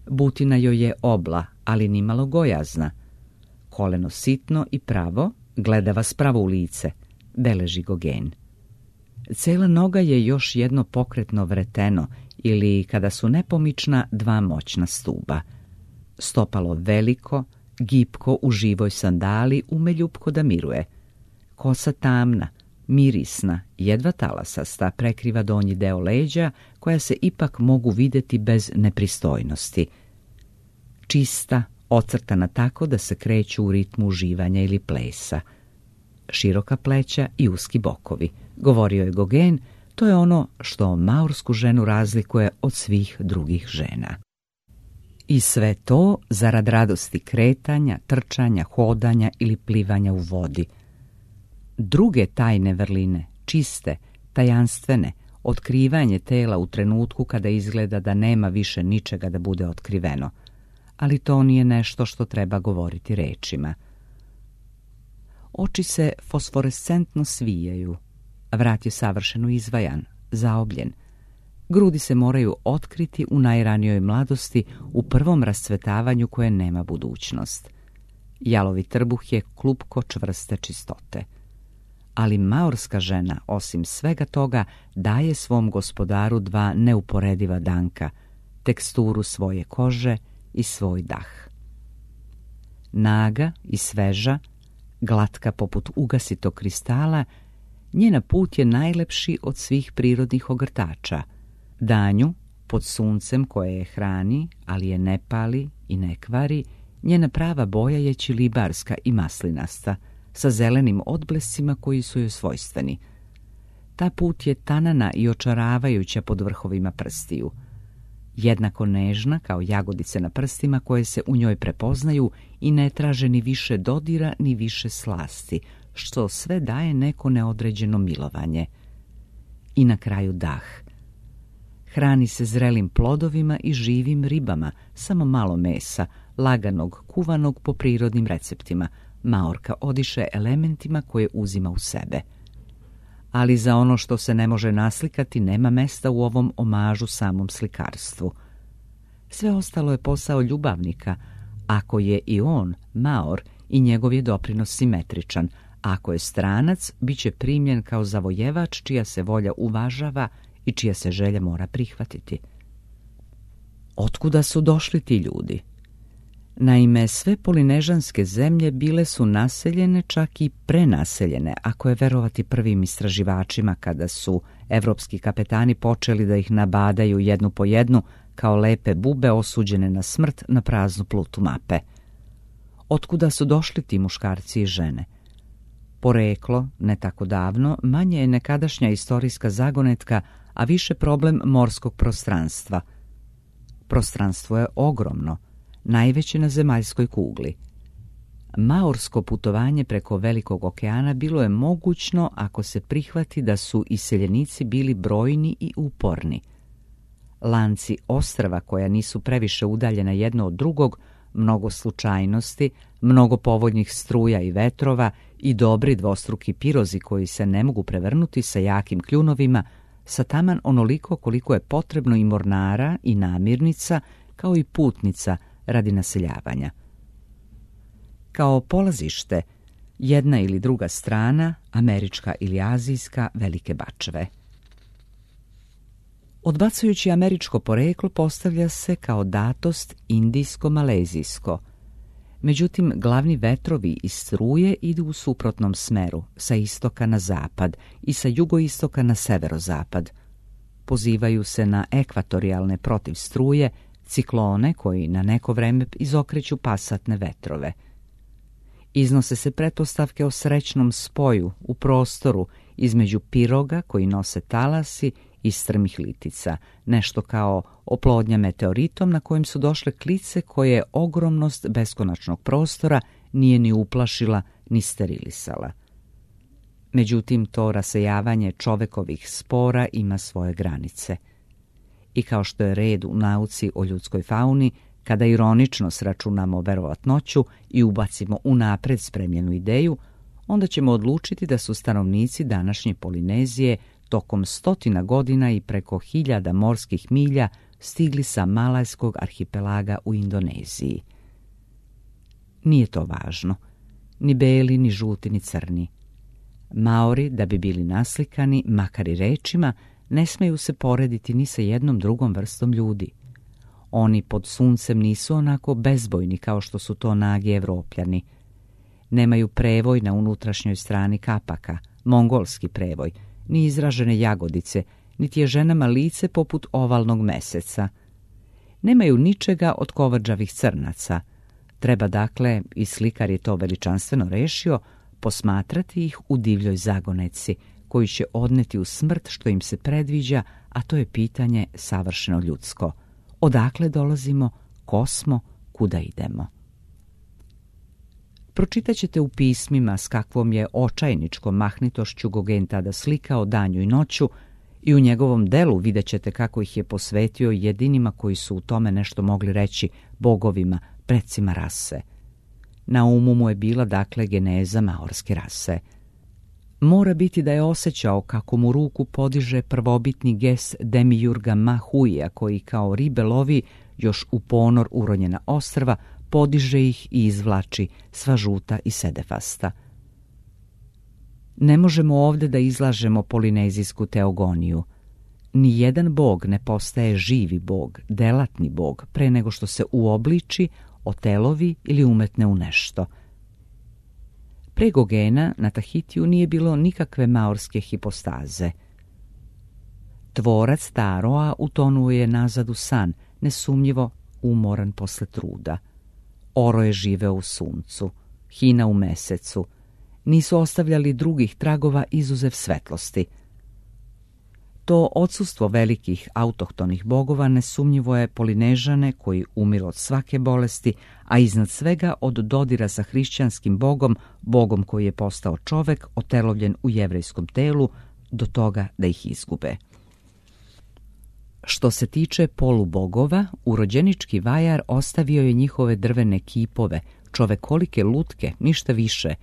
Butina joj je obla, ali nimalo gojazna. Koleno sitno i pravo, gleda vas pravo u lice, beleži Gauguin. Cela noga je još jedno pokretno vreteno ili, kada su nepomična, dva moćna stuba. Stopalo veliko, gipko u živoj sandali, ume ljupko da miruje. Kosa tamna, mirisna, jedva talasasta, prekriva donji deo leđa, koja se ipak mogu vidjeti bez nepristojnosti. Čista, ocrtana tako da se kreću u ritmu uživanja ili plesa. Široka pleća i uski bokovi, govorio je Gauguin, to je ono što maorsku ženu razlikuje od svih drugih žena. I sve to zarad radosti kretanja, trčanja, hodanja ili plivanja u vodi. Druge tajne vrline, čiste, tajanstvene, otkrivanje tela u trenutku kada izgleda da nema više ničega da bude otkriveno. Ali to nije nešto što treba govoriti rečima. Oči se fosforescentno svijaju, vrat je savršeno izvajan, zaobljen. Grudi se moraju otkriti u najranijoj mladosti, u prvom rascvetavanju koje nema budućnost. Jalovi trbuh je klupko čvrste čistote. Ali maorska žena, osim svega toga, daje svom gospodaru dva neuporediva danka, teksturu svoje kože i svoj dah. Naga i sveža, glatka poput ugasitog kristala, njena put je najlepši od svih prirodnih ogrtača. Danju, pod suncem koje je hrani, ali je ne pali i ne kvari, njena prava boja je ćilibarska i maslinasta, sa zelenim odblescima koji su joj svojstveni. Ta put je tanana i očaravajuća pod vrhovima prstiju. Jednako nežna kao jagodice na prstima koje se u njoj prepoznaju i ne traže ni više dodira ni više slasti, što sve daje neko neodređeno milovanje. I na kraju dah. Hrani se zrelim plodovima i živim ribama, samo malo mesa, laganog, kuvanog po prirodnim receptima. Maorka odiše elementima koje uzima u sebe. Ali za ono što se ne može naslikati nema mesta u ovom omažu samom slikarstvu. Sve ostalo je posao ljubavnika, ako je i on Maor i njegov je doprinos simetričan. Ako je stranac, bit će primljen kao zavojevač čija se volja uvažava i čija se želja mora prihvatiti. Otkuda su došli ti ljudi? Naime, sve polinežanske zemlje bile su naseljene, čak i prenaseljene, ako je verovati prvim istraživačima kada su evropski kapetani počeli da ih nabadaju jednu po jednu kao lepe bube osuđene na smrt na praznu plutu mape. Otkuda su došli ti muškarci i žene? Poreklo, ne tako davno, manje je nekadašnja istorijska zagonetka, a više problem morskog prostranstva. Prostranstvo je ogromno, najveće na zemaljskoj kugli. Maorsko putovanje preko Velikog okeana bilo je mogućno ako se prihvati da su iseljenici bili brojni i uporni. Lanci ostrva koja nisu previše udaljena jedno od drugog, mnogo slučajnosti, mnogo povoljnih struja i vetrova i dobri dvostruki pirozi koji se ne mogu prevrnuti sa jakim kljunovima, sa taman onoliko koliko je potrebno i mornara i namirnica, kao i putnica radi naseljavanja. Kao polazište, jedna ili druga strana, američka ili azijska, velike bačve. Odbacujući američko poreklo postavlja se kao datost indijsko-malezijsko. Međutim, glavni vetrovi iz struje idu u suprotnom smeru, sa istoka na zapad i sa jugoistoka na severozapad. Pozivaju se na ekvatorijalne protiv struje, ciklone koji na neko vreme izokreću pasatne vetrove. Iznose se pretpostavke o srećnom spoju u prostoru između piroga koji nose talasi i strmih litica, nešto kao oplodnja meteoritom na kojem su došle klice koje ogromnost beskonačnog prostora nije ni uplašila ni sterilisala. Međutim, to rasejavanje čovekovih spora ima svoje granice. I kao što je red u nauci o ljudskoj fauni, kada ironično sračunamo verovatnoću i ubacimo unapred spremljenu ideju, onda ćemo odlučiti da su stanovnici današnje Polinezije tokom 100 godina i preko 1000 morskih milja stigli sa Malajskog arhipelaga u Indoneziji. Nije to važno, ni beli, ni žuti, ni crni. Maori, da bi bili naslikani, makar i rečima, ne smeju se porediti ni sa jednom drugom vrstom ljudi. Oni pod suncem nisu onako bezbojni kao što su to nagi Evropljani. Nemaju prevoj na unutrašnjoj strani kapaka, mongolski prevoj, ni izražene jagodice, niti je ženama lice poput ovalnog meseca. Nemaju ničega od kovrđavih crnaca. Treba dakle, i slikar je to veličanstveno rešio, posmatrati ih u divljoj zagoneci, koji će odneti u smrt što im se predviđa, a to je pitanje savršeno ljudsko. Odakle dolazimo, ko smo, kuda idemo? Pročitat ćete u pismima s kakvom je očajničkom mahnitošću Gauguin tada slikao danju i noću i u njegovom delu vidjet ćete kako ih je posvetio jedinima koji su u tome nešto mogli reći, bogovima, precima rase. Na umu mu je bila dakle geneza maorske rase. Mora biti da je osjećao kako mu ruku podiže prvobitni ges Demiurga Mahuija koji kao ribe lovi još u ponor uronjena ostrva, podiže ih i izvlači sva žuta i sedefasta. Ne možemo ovdje da izlažemo polinezijsku teogoniju. Nijedan bog ne postaje živi bog, delatni bog, pre nego što se uobliči, otelovi ili umetne u nešto. Pre Gauguina na Tahitiju nije bilo nikakve maorske hipostaze. Tvorac Taroa utonuo je nazad u san, nesumnjivo umoran posle truda. Oro je živeo u suncu, Hina u mesecu. Nisu ostavljali drugih tragova izuzev svetlosti. To odsustvo velikih autohtonih bogova nesumnjivo je Polinežane koji umiru od svake bolesti, a iznad svega od dodira sa hrišćanskim bogom, bogom koji je postao čovek, otelovljen u jevrejskom telu, do toga da ih izgube. Što se tiče polubogova, urođenički vajar ostavio je njihove drvene kipove, čovekolike lutke, ništa više,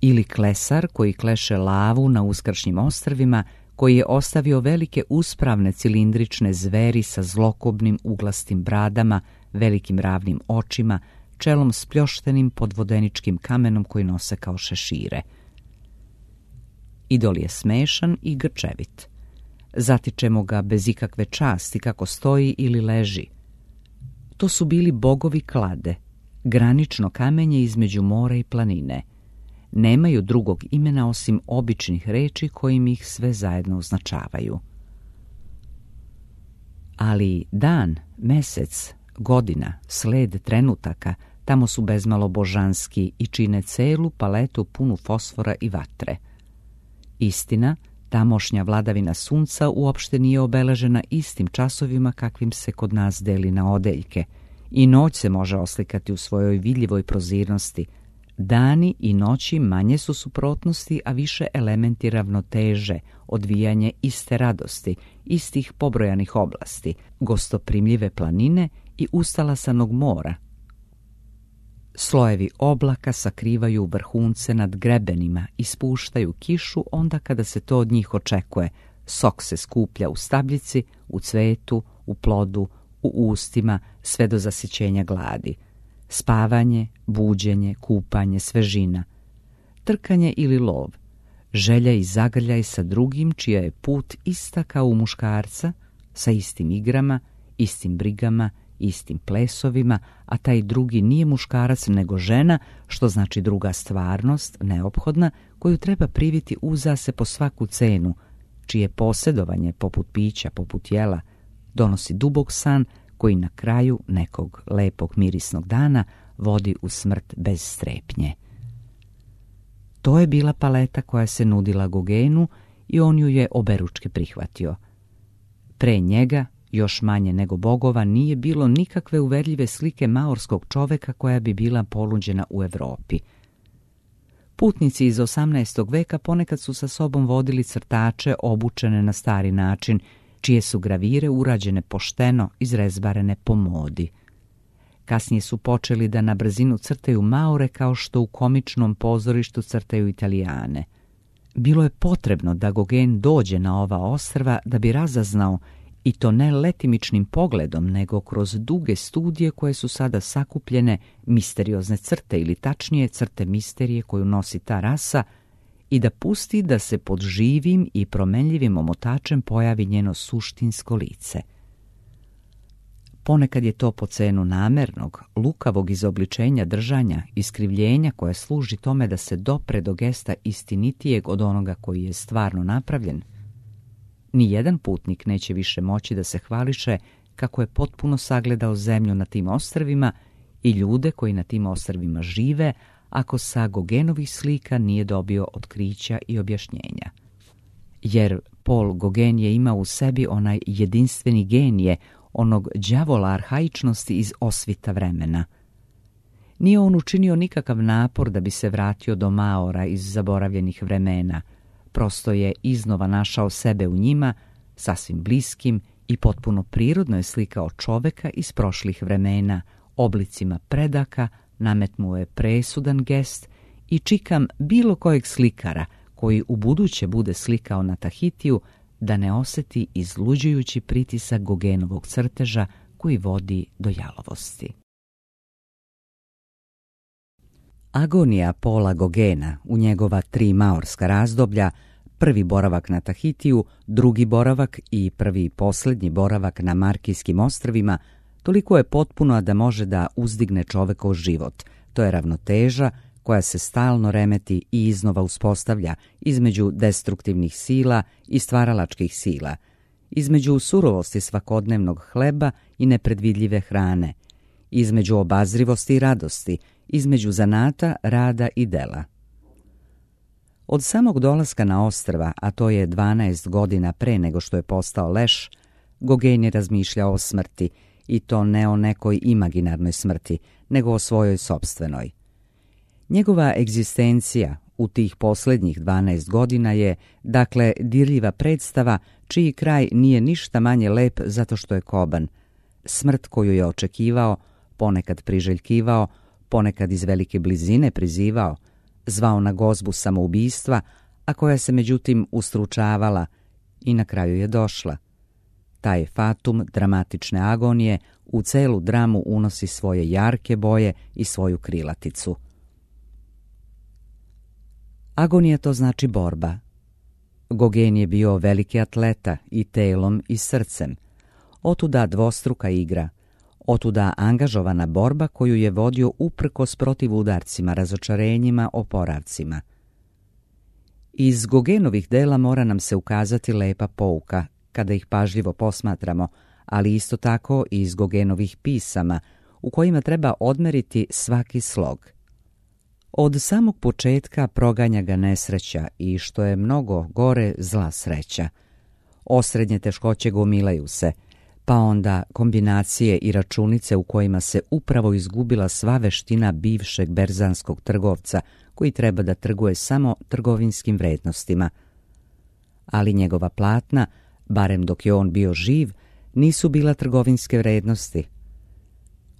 ili klesar koji kleše lavu na uskršnjim ostrvima, koji je ostavio velike uspravne cilindrične zveri sa zlokobnim uglastim bradama, velikim ravnim očima, čelom spljoštenim pod vodeničkim kamenom koji nose kao šešire. Idol je smešan i grčevit. Zatičemo ga bez ikakve časti kako stoji ili leži. To su bili bogovi klade, granično kamenje između mora i planine. Nemaju drugog imena osim običnih reči kojim ih sve zajedno označavaju. Ali dan, mesec, godina, sled trenutaka tamo su bezmalo božanski i čine celu paletu punu fosfora i vatre. Istina, tamošnja vladavina sunca uopšte nije obeležena istim časovima kakvim se kod nas deli na odeljke. I noć se može oslikati u svojoj vidljivoj prozirnosti. Dani i noći manje su suprotnosti, a više elementi ravnoteže, odvijanje iste radosti, istih pobrojanih oblasti, gostoprimljive planine i ustalasanog mora. Slojevi oblaka sakrivaju vrhunce nad grebenima i spuštaju kišu onda kada se to od njih očekuje. Sok se skuplja u stabljici, u cvetu, u plodu, u ustima, sve do zasićenja gladi. Spavanje, buđenje, kupanje, svežina, trkanje ili lov, želja i zagrljaj sa drugim čija je put ista kao u muškarca, sa istim igrama, istim brigama, istim plesovima, a taj drugi nije muškarac nego žena, što znači druga stvarnost, neophodna, koju treba priviti uza se po svaku cenu, čije posjedovanje, poput pića, poput jela, donosi dubok san koji na kraju nekog lepog mirisnog dana vodi u smrt bez strepnje. To je bila paleta koja se nudila Gogenu i on ju je oberučke prihvatio. Pre njega, još manje nego bogova, nije bilo nikakve uverljive slike maorskog čoveka koja bi bila ponuđena u Europi. Putnici iz 18. veka ponekad su sa sobom vodili crtače obučene na stari način, čije su gravire urađene pošteno, izrezbarene po modi. Kasnije su počeli da na brzinu crtaju Maore kao što u komičnom pozorištu crtaju Italijane. Bilo je potrebno da Gauguin dođe na ova ostrva da bi razaznao, i to ne letimičnim pogledom, nego kroz duge studije koje su sada sakupljene, misteriozne crte ili tačnije crte misterije koju nosi ta rasa, i da pusti da se pod živim i promenljivim omotačem pojavi njeno suštinsko lice. Ponekad je to po cenu namernog, lukavog izobličenja držanja, iskrivljenja koje služi tome da se dopre do gesta istinitijeg od onoga koji je stvarno napravljen. Nijedan putnik neće više moći da se hvališe kako je potpuno sagledao zemlju na tim ostrvima i ljude koji na tim ostrvima žive, ako sa Gauguinovih slika nije dobio otkrića i objašnjenja. Jer Paul Gauguin je imao u sebi onaj jedinstveni genije, onog đavola arhaičnosti iz osvita vremena. Nije on učinio nikakav napor da bi se vratio do Maora iz zaboravljenih vremena, prosto je iznova našao sebe u njima, sasvim bliskim i potpuno prirodno je slikao čoveka iz prošlih vremena, oblicima predaka, nametnuo je presudan gest i čikam bilo kojeg slikara koji u buduće bude slikao na Tahitiju da ne osjeti izluđujući pritisak Gauguinovog crteža koji vodi do jalovosti. Agonija Paula Gauguina u njegova 3 maorska razdoblja, prvi boravak na Tahitiju, drugi boravak i prvi i posljednji boravak na Markijskim ostrvima, toliko je potpuno da može da uzdigne čovekov život. To je ravnoteža koja se stalno remeti i iznova uspostavlja između destruktivnih sila i stvaralačkih sila, između surovosti svakodnevnog hleba i nepredvidljive hrane, između obazrivosti i radosti, između zanata, rada i dela. Od samog dolaska na ostrva, a to je 12 godina pre nego što je postao leš, Gauguin je razmišljao o smrti, i to ne o nekoj imaginarnoj smrti, nego o svojoj sopstvenoj. Njegova egzistencija u tih posljednjih 12 godina je, dakle, dirljiva predstava čiji kraj nije ništa manje lep zato što je koban. Smrt koju je očekivao, ponekad priželjkivao, ponekad iz velike blizine prizivao, zvao na gozbu samoubistva, a koja se međutim ustručavala i na kraju je došla. Taj fatum dramatične agonije u celu dramu unosi svoje jarke boje i svoju krilaticu. Agonija to znači borba. Gauguin je bio veliki atleta i telom i srcem. Otuda dvostruka igra, otuda angažovana borba koju je vodio uprkos protiv udarcima, razočarenjima, oporavcima. Iz Gauguinovih dela mora nam se ukazati lepa pouka, kada ih pažljivo posmatramo, ali isto tako i iz Gauguinovih pisama, u kojima treba odmeriti svaki slog. Od samog početka proganja ga nesreća i, što je mnogo gore, zla sreća. Osrednje teškoće gomilaju se, pa onda kombinacije i računice u kojima se upravo izgubila sva veština bivšeg berzanskog trgovca koji treba da trguje samo trgovinskim vrednostima. Ali njegova platna, barem dok je on bio živ, nisu bila trgovinske vrednosti.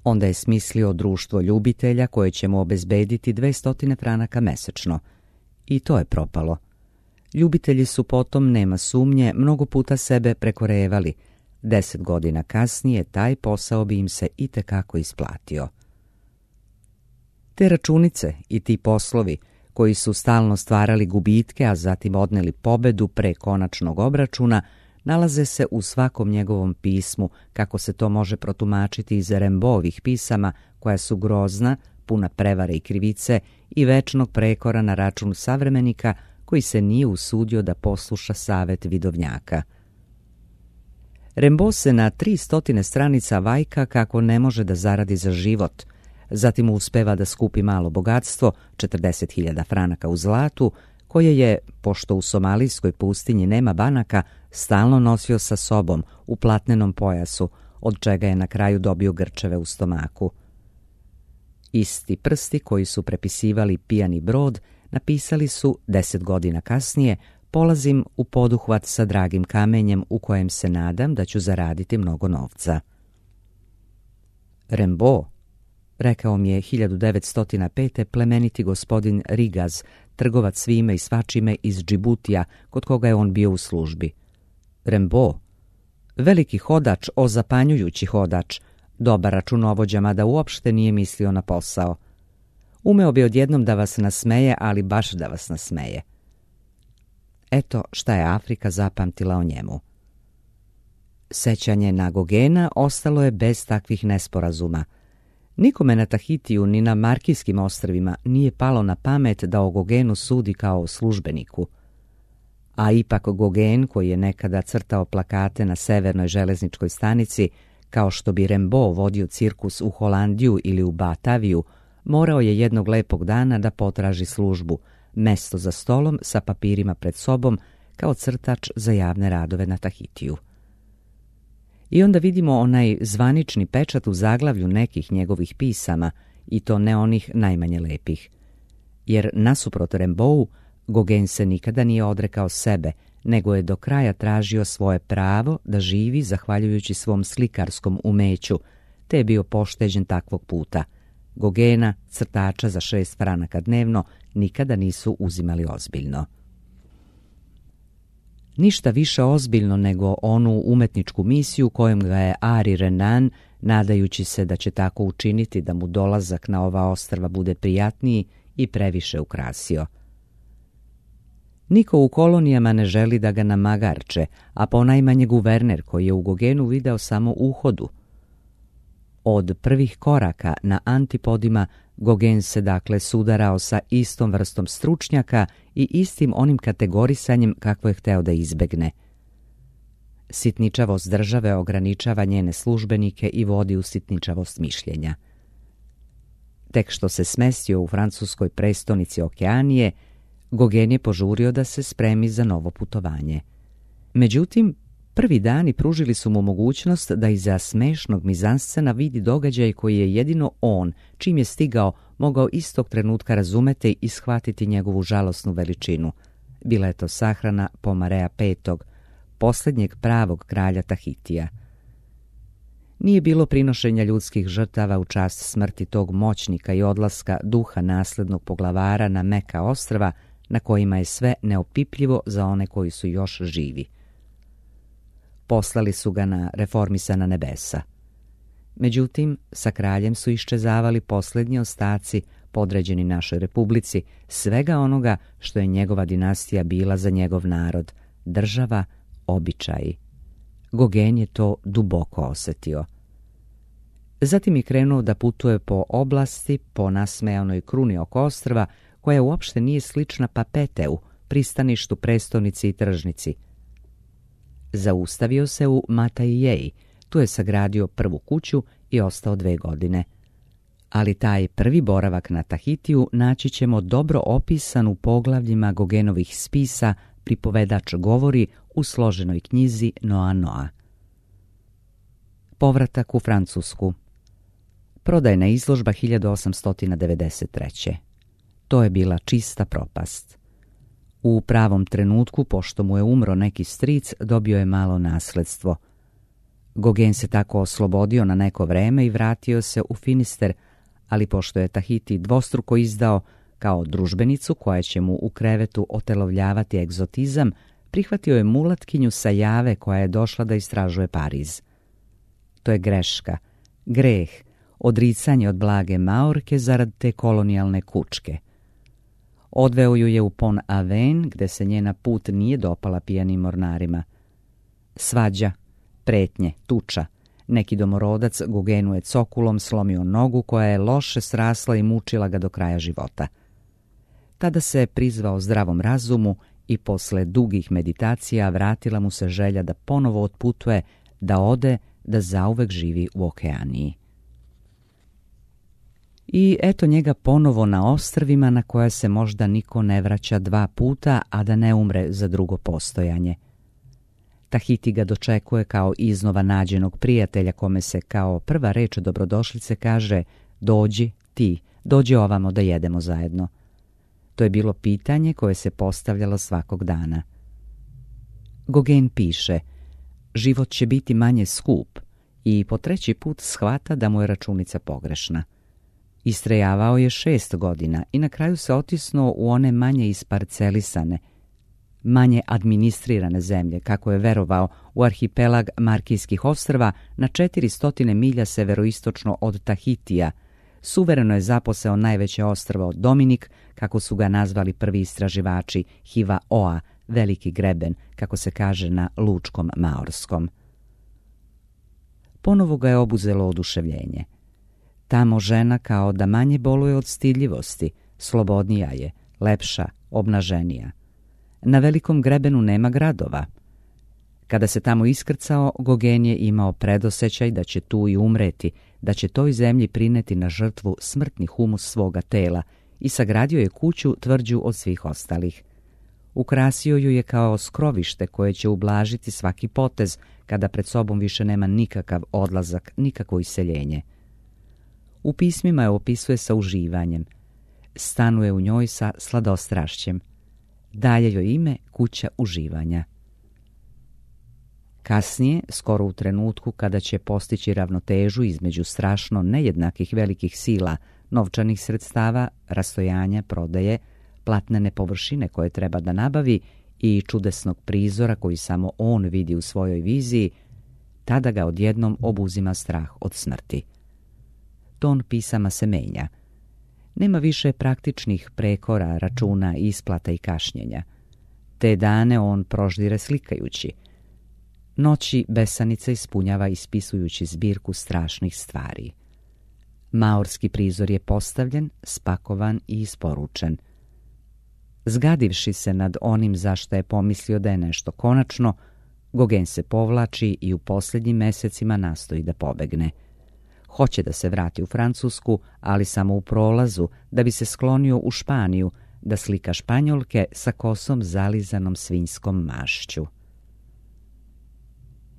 Onda je smislio društvo ljubitelja koje će mu obezbediti 200 franaka mesečno. I to je propalo. Ljubitelji su potom, nema sumnje, mnogo puta sebe prekorevali. 10 godina kasnije taj posao bi im se itekako isplatio. Te računice i ti poslovi, koji su stalno stvarali gubitke, a zatim odneli pobedu pre konačnog obračuna, nalaze se u svakom njegovom pismu, kako se to može protumačiti iz Rimbaudovih pisama, koja su grozna, puna prevare i krivice i večnog prekora na račun savremenika koji se nije usudio da posluša savet vidovnjaka. Rimbaud se na 300 stranica vajka kako ne može da zaradi za život, zatim uspeva da skupi malo bogatstvo, 40.000 franaka u zlatu, koje je, pošto u somalijskoj pustinji nema banaka, stalno nosio sa sobom u platnenom pojasu, od čega je na kraju dobio grčeve u stomaku. Isti prsti koji su prepisivali Pijani brod napisali su 10 godina kasnije: polazim u poduhvat sa dragim kamenjem u kojem se nadam da ću zaraditi mnogo novca. Rimbaud, rekao mi je 1905. plemeniti gospodin Rigaz, trgovac svime i svačime iz Džibutija, kod koga je on bio u službi. Rimbaud, veliki hodač, zapanjujući hodač, dobar računovođa, mada uopšte nije mislio na posao. Umeo bi odjednom da vas nasmeje, ali baš da vas nasmeje. Eto šta je Afrika zapamtila o njemu. Sećanje na Gogena ostalo je bez takvih nesporazuma. Nikome na Tahitiju ni na Markijskim ostrvima nije palo na pamet da o Gogenu sudi kao o službeniku. A ipak Gogen, koji je nekada crtao plakate na severnoj železničkoj stanici, kao što bi Rimbaud vodio cirkus u Holandiju ili u Bataviju, morao je jednog lepog dana da potraži službu, mesto za stolom sa papirima pred sobom, kao crtač za javne radove na Tahitiju. I onda vidimo onaj zvanični pečat u zaglavlju nekih njegovih pisama, i to ne onih najmanje lepih. Jer nasuprot Rimbaud, Gogen se nikada nije odrekao sebe, nego je do kraja tražio svoje pravo da živi zahvaljujući svom slikarskom umeću, te je bio pošteđen takvog puta. Gogena, crtača za 6 franaka dnevno, nikada nisu uzimali ozbiljno. Ništa više ozbiljno nego onu umetničku misiju kojom ga je Henri Renan, nadajući se da će tako učiniti da mu dolazak na ova ostrva bude prijatniji, i previše ukrasio. Niko u kolonijama ne želi da ga namagarče, a ponajmanje guverner koji je u Gogenu video samo uhodu. Od prvih koraka na antipodima Gogen se dakle sudarao sa istom vrstom stručnjaka i istim onim kategorisanjem kakvo je hteo da izbegne. Sitničavost države ograničava njene službenike i vodi u sitničavost mišljenja. Tek što se smestio u francuskoj prestonici Okeanije, Gogen je požurio da se spremi za novo putovanje. Međutim, prvi dani pružili su mu mogućnost da iza smešnog mizanscena vidi događaj koji je jedino on, čim je stigao, mogao istog trenutka razumeti i shvatiti njegovu žalosnu veličinu. Bila je to sahrana Pomarea V, posljednjeg pravog kralja Tahitija. Nije bilo prinošenja ljudskih žrtava u čast smrti tog moćnika i odlaska duha naslednog poglavara na Meka ostrva, na kojima je sve neopipljivo za one koji su još živi. Poslali su ga na reformisana nebesa. Međutim, sa kraljem su iščezavali posljednji ostaci, podređeni našoj republici, svega onoga što je njegova dinastija bila za njegov narod, država, običaji. Gogen je to duboko osjetio. Zatim je krenuo da putuje po oblasti, po nasmejanoj kruni oko ostrva, koja uopšte nije slična Papeteu, pristaništu, prestonici i tržnici. Zaustavio se u Mataijeji, tu je sagradio prvu kuću i ostao 2 godine. Ali taj prvi boravak na Tahitiju naći ćemo dobro opisan u poglavljima Gogenovih spisa Pripovedač govori u složenoj knjizi Noa Noa. Povratak u Francusku. Prodajna izložba 1893. To je bila čista propast. U pravom trenutku, pošto mu je umro neki stric, dobio je malo nasledstvo. Gogen se tako oslobodio na neko vreme i vratio se u Finister, ali pošto je Tahiti dvostruko izdao kao družbenicu koja će mu u krevetu otelovljavati egzotizam, prihvatio je mulatkinju sa Jave koja je došla da istražuje Pariz. To je greška, greh, odricanje od blage Maorke zarad te kolonijalne kučke. Odveo ju je u Pont Aven, gde se njena put nije dopala pijanim mornarima. Svađa, pretnje, tuča. Neki domorodac Gogenu je cokulom slomio nogu koja je loše srasla i mučila ga do kraja života. Tada se prizvao zdravom razumu i posle dugih meditacija vratila mu se želja da ponovo otputuje, da ode, da zauvek živi u Okeaniji. I eto njega ponovo na ostrvima na koja se možda niko ne vraća 2 puta, a da ne umre za drugo postojanje. Tahiti ga dočekuje kao iznova nađenog prijatelja kome se kao prva reč dobrodošlice kaže: dođi ti, dođi ovamo da jedemo zajedno. To je bilo pitanje koje se postavljalo svakog dana. Gauguin piše: život će biti manje skup, i po 3. put shvata da mu je računica pogrešna. Istrajavao je 6 godina i na kraju se otisnuo u one manje isparcelisane, manje administrirane zemlje, kako je verovao, u arhipelag Markijskih ostrva na 400 milja severoistočno od Tahitija. Suvereno je zaposeo najveće ostrvo Dominik, kako su ga nazvali prvi istraživači, Hiva-oa, veliki greben, kako se kaže na lučkom maorskom. Ponovo ga je obuzelo oduševljenje. Tamo žena kao da manje boluje od stidljivosti, slobodnija je, lepša, obnaženija. Na velikom grebenu nema gradova. Kada se tamo iskrcao, Gauguin je imao predosećaj da će tu i umreti, da će toj zemlji prineti na žrtvu smrtni humus svoga tela i sagradio je kuću tvrđu od svih ostalih. Ukrasio ju je kao skrovište koje će ublažiti svaki potez kada pred sobom više nema nikakav odlazak, nikakvo iseljenje. U pismima je opisuje sa uživanjem. Stanuje u njoj sa sladostrašćem. Dalje joj ime kuća uživanja. Kasnije, skoro u trenutku kada će postići ravnotežu između strašno nejednakih velikih sila, novčanih sredstava, rastojanja, prodaje, platnene površine koje treba da nabavi i čudesnog prizora koji samo on vidi u svojoj viziji, tada ga odjednom obuzima strah od smrti. Ton pisama se menja. Nema više praktičnih prekora, računa, isplata i kašnjenja. Te dane on proždire slikajući. Noći besanica ispunjava ispisujući zbirku strašnih stvari. Maorski prizor je postavljen, spakovan i isporučen. Zgadivši se nad onim zašto je pomislio da je nešto konačno, Gauguin se povlači i u posljednjim mesecima nastoji da pobegne. Hoće da se vrati u Francusku, ali samo u prolazu, da bi se sklonio u Španiju, da slika Španjolke sa kosom zalizanom svinjskom mašću.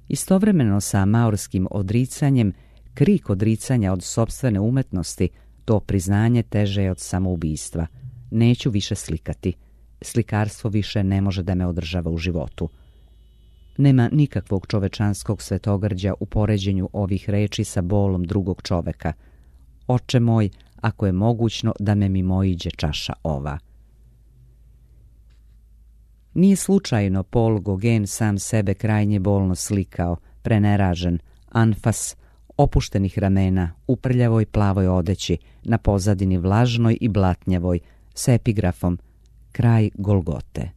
Istovremeno sa maorskim odricanjem, krik odricanja od sopstvene umetnosti, to priznanje teže je od samoubistva. Neću više slikati. Slikarstvo više ne može da me održava u životu. Nema nikakvog čovečanskog svetogrđa u poređenju ovih reči sa bolom drugog čoveka. Oče moj, ako je mogućno da me mimoiđe čaša ova. Nije slučajno Paul Gauguin sam sebe krajnje bolno slikao, preneražen, anfas, opuštenih ramena, u prljavoj plavoj odeći, na pozadini vlažnoj i blatnjavoj, s epigrafom kraj Golgote.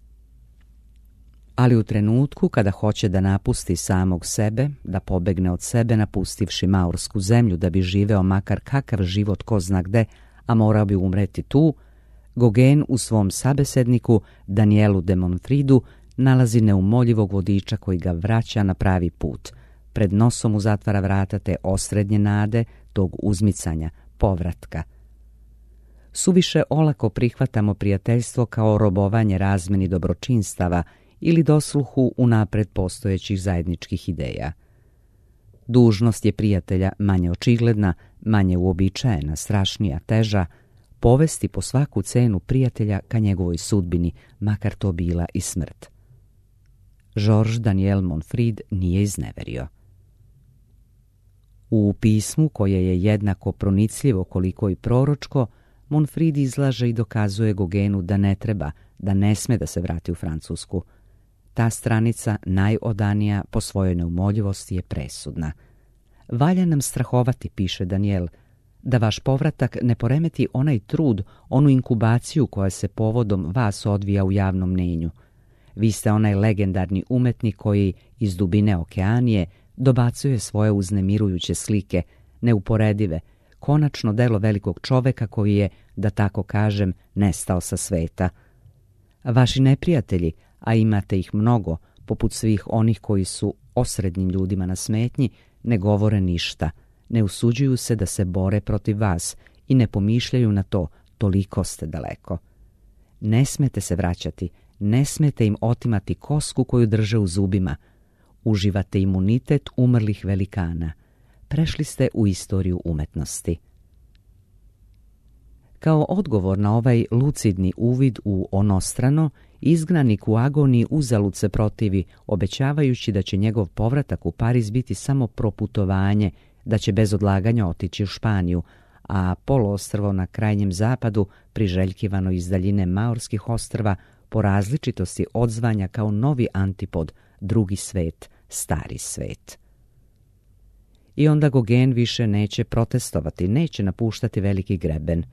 Ali u trenutku kada hoće da napusti samog sebe, da pobegne od sebe napustivši maorsku zemlju da bi živeo makar kakav život ko zna gde, a morao bi umreti tu, Gauguin u svom sabesedniku Danielu de Montfridu nalazi neumoljivog vodiča koji ga vraća na pravi put. Pred nosom mu zatvara vrata te osrednje nade, tog uzmicanja, povratka. Suviše olako prihvatamo prijateljstvo kao robovanje razmeni dobročinstava ili dosluhu unapred postojećih zajedničkih ideja. Dužnost je prijatelja manje očigledna, manje uobičajena, strašnija, teža, povesti po svaku cenu prijatelja ka njegovoj sudbini, makar to bila i smrt. Georges Daniel Montfrid nije izneverio. U pismu, koje je jednako pronicljivo koliko i proročko, Montfrid izlaže i dokazuje Gauguinu da ne treba, da ne sme da se vrati u Francusku. Ta stranica, najodanija po svojoj neumoljivosti, je presudna. Valja nam strahovati, piše Daniel, da vaš povratak ne poremeti onaj trud, onu inkubaciju koja se povodom vas odvija u javnom mnenju. Vi ste onaj legendarni umetnik koji iz dubine okeanije dobacuje svoje uznemirujuće slike, neuporedive, konačno delo velikog čoveka koji je, da tako kažem, nestao sa sveta. Vaši neprijatelji, a imate ih mnogo, poput svih onih koji su osrednjim ljudima na smetnji, ne govore ništa, ne usuđuju se da se bore protiv vas i ne pomišljaju na to, toliko ste daleko. Ne smete se vraćati, ne smete im otimati kosku koju drže u zubima. Uživate imunitet umrlih velikana. Prešli ste u istoriju umetnosti. Kao odgovor na ovaj lucidni uvid u onostrano, izgnanik u agoniji uzalud se protivi, obećavajući da će njegov povratak u Pariz biti samo proputovanje, da će bez odlaganja otići u Španiju, a poluostrvo na krajnjem zapadu, priželjkivano iz daljine Maorskih ostrva, po različitosti odzvanja kao novi antipod, drugi svet, stari svet. I onda Gauguin više neće protestovati, neće napuštati veliki greben.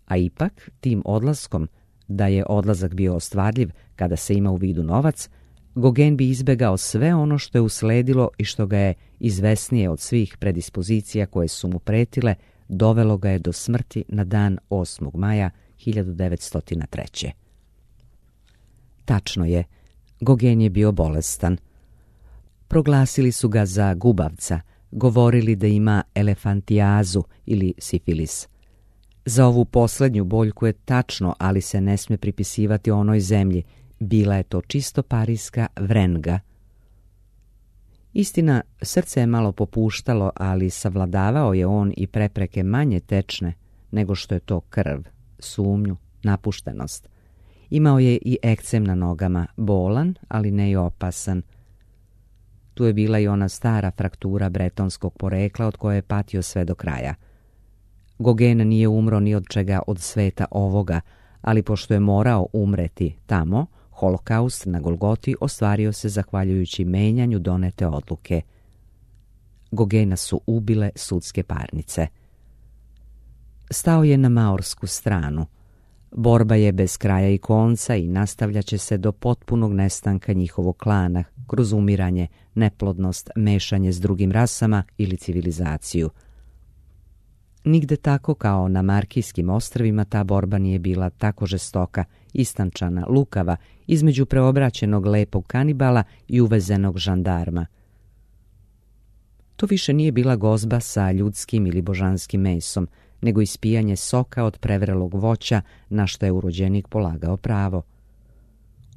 A ipak, tim odlaskom, da je odlazak bio ostvarljiv kada se ima u vidu novac, Gauguin bi izbegao sve ono što je usledilo i što ga je, izvesnije od svih predispozicija koje su mu pretile, dovelo ga je do smrti na dan 8. maja 1903. Tačno je, Gauguin je bio bolestan. Proglasili su ga za gubavca, govorili da ima elefantijazu ili sifilis. Za ovu posljednju boljku je tačno, ali se ne smije pripisivati onoj zemlji. Bila je to čisto parijska vrenga. Istina, srce je malo popuštalo, ali savladavao je on i prepreke manje tečne nego što je to krv, sumnju, napuštenost. Imao je i ekcem na nogama, bolan, ali ne i opasan. Tu je bila i ona stara fraktura bretonskog porekla od koje je patio sve do kraja. Gauguin nije umro ni od čega od sveta ovoga, ali pošto je morao umreti tamo, holokaust na Golgoti ostvario se zahvaljujući menjanju donete odluke. Gauguina su ubile sudske parnice. Stao je na maorsku stranu. Borba je bez kraja i konca i nastavljaće se do potpunog nestanka njihovog klana, kroz umiranje, neplodnost, mešanje s drugim rasama ili civilizaciju. Nigde tako kao na Markijskim ostrvima ta borba nije bila tako žestoka, istančana, lukava, između preobraćenog lepog kanibala i uvezenog žandarma. To više nije bila gozba sa ljudskim ili božanskim mesom, nego ispijanje soka od prevrelog voća na što je urođenik polagao pravo.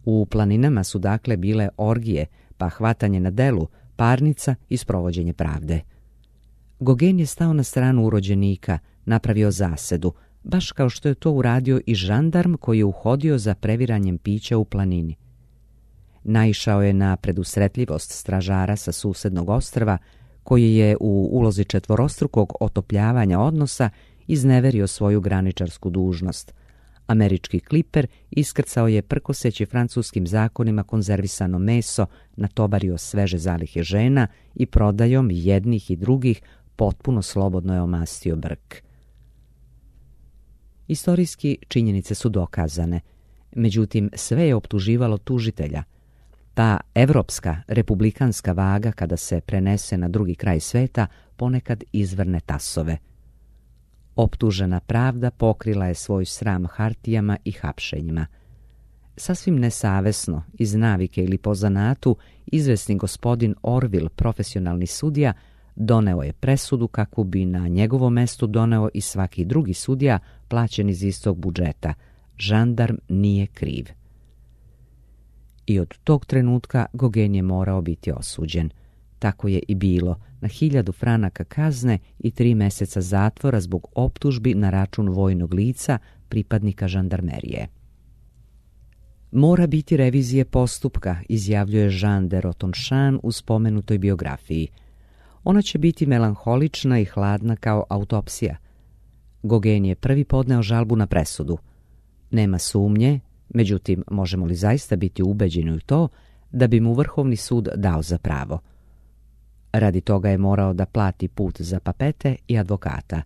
U planinama su dakle bile orgije, pa hvatanje na delu, parnica i sprovođenje pravde. Gauguin je stao na stranu urođenika, napravio zasedu, baš kao što je to uradio i žandarm koji je uhodio za previranjem pića u planini. Naišao je na predusretljivost stražara sa susednog ostrva, koji je u ulozi četvorostrukog otopljavanja odnosa izneverio svoju graničarsku dužnost. Američki kliper iskrcao je prkoseći francuskim zakonima konzervisano meso, natovario sveže zalihe žena i prodajom jednih i drugih potpuno slobodno je omastio brk. Istorijski činjenice su dokazane, međutim sve je optuživalo tužitelja. Ta evropska, republikanska vaga kada se prenese na drugi kraj sveta ponekad izvrne tasove. Optužena pravda pokrila je svoj sram hartijama i hapšenjima. Sasvim nesavesno, iz navike ili po zanatu, izvesni gospodin Orville, profesionalni sudija, doneo je presudu kakvu bi na njegovo mesto doneo i svaki drugi sudija plaćen iz istog budžeta. Žandarm nije kriv. I od tog trenutka Gauguin je morao biti osuđen. Tako je i bilo, na 1000 franaka kazne i 3 meseca zatvora zbog optužbi na račun vojnog lica, pripadnika žandarmerije. Mora biti revizije postupka, izjavljuje Jean de Rotonchamp u spomenutoj biografiji. Ona će biti melanholična i hladna kao autopsija. Gauguin je prvi podneo žalbu na presudu. Nema sumnje, međutim, možemo li zaista biti ubeđeni u to da bi mu Vrhovni sud dao za pravo? Radi toga je morao da plati put za papete i advokata.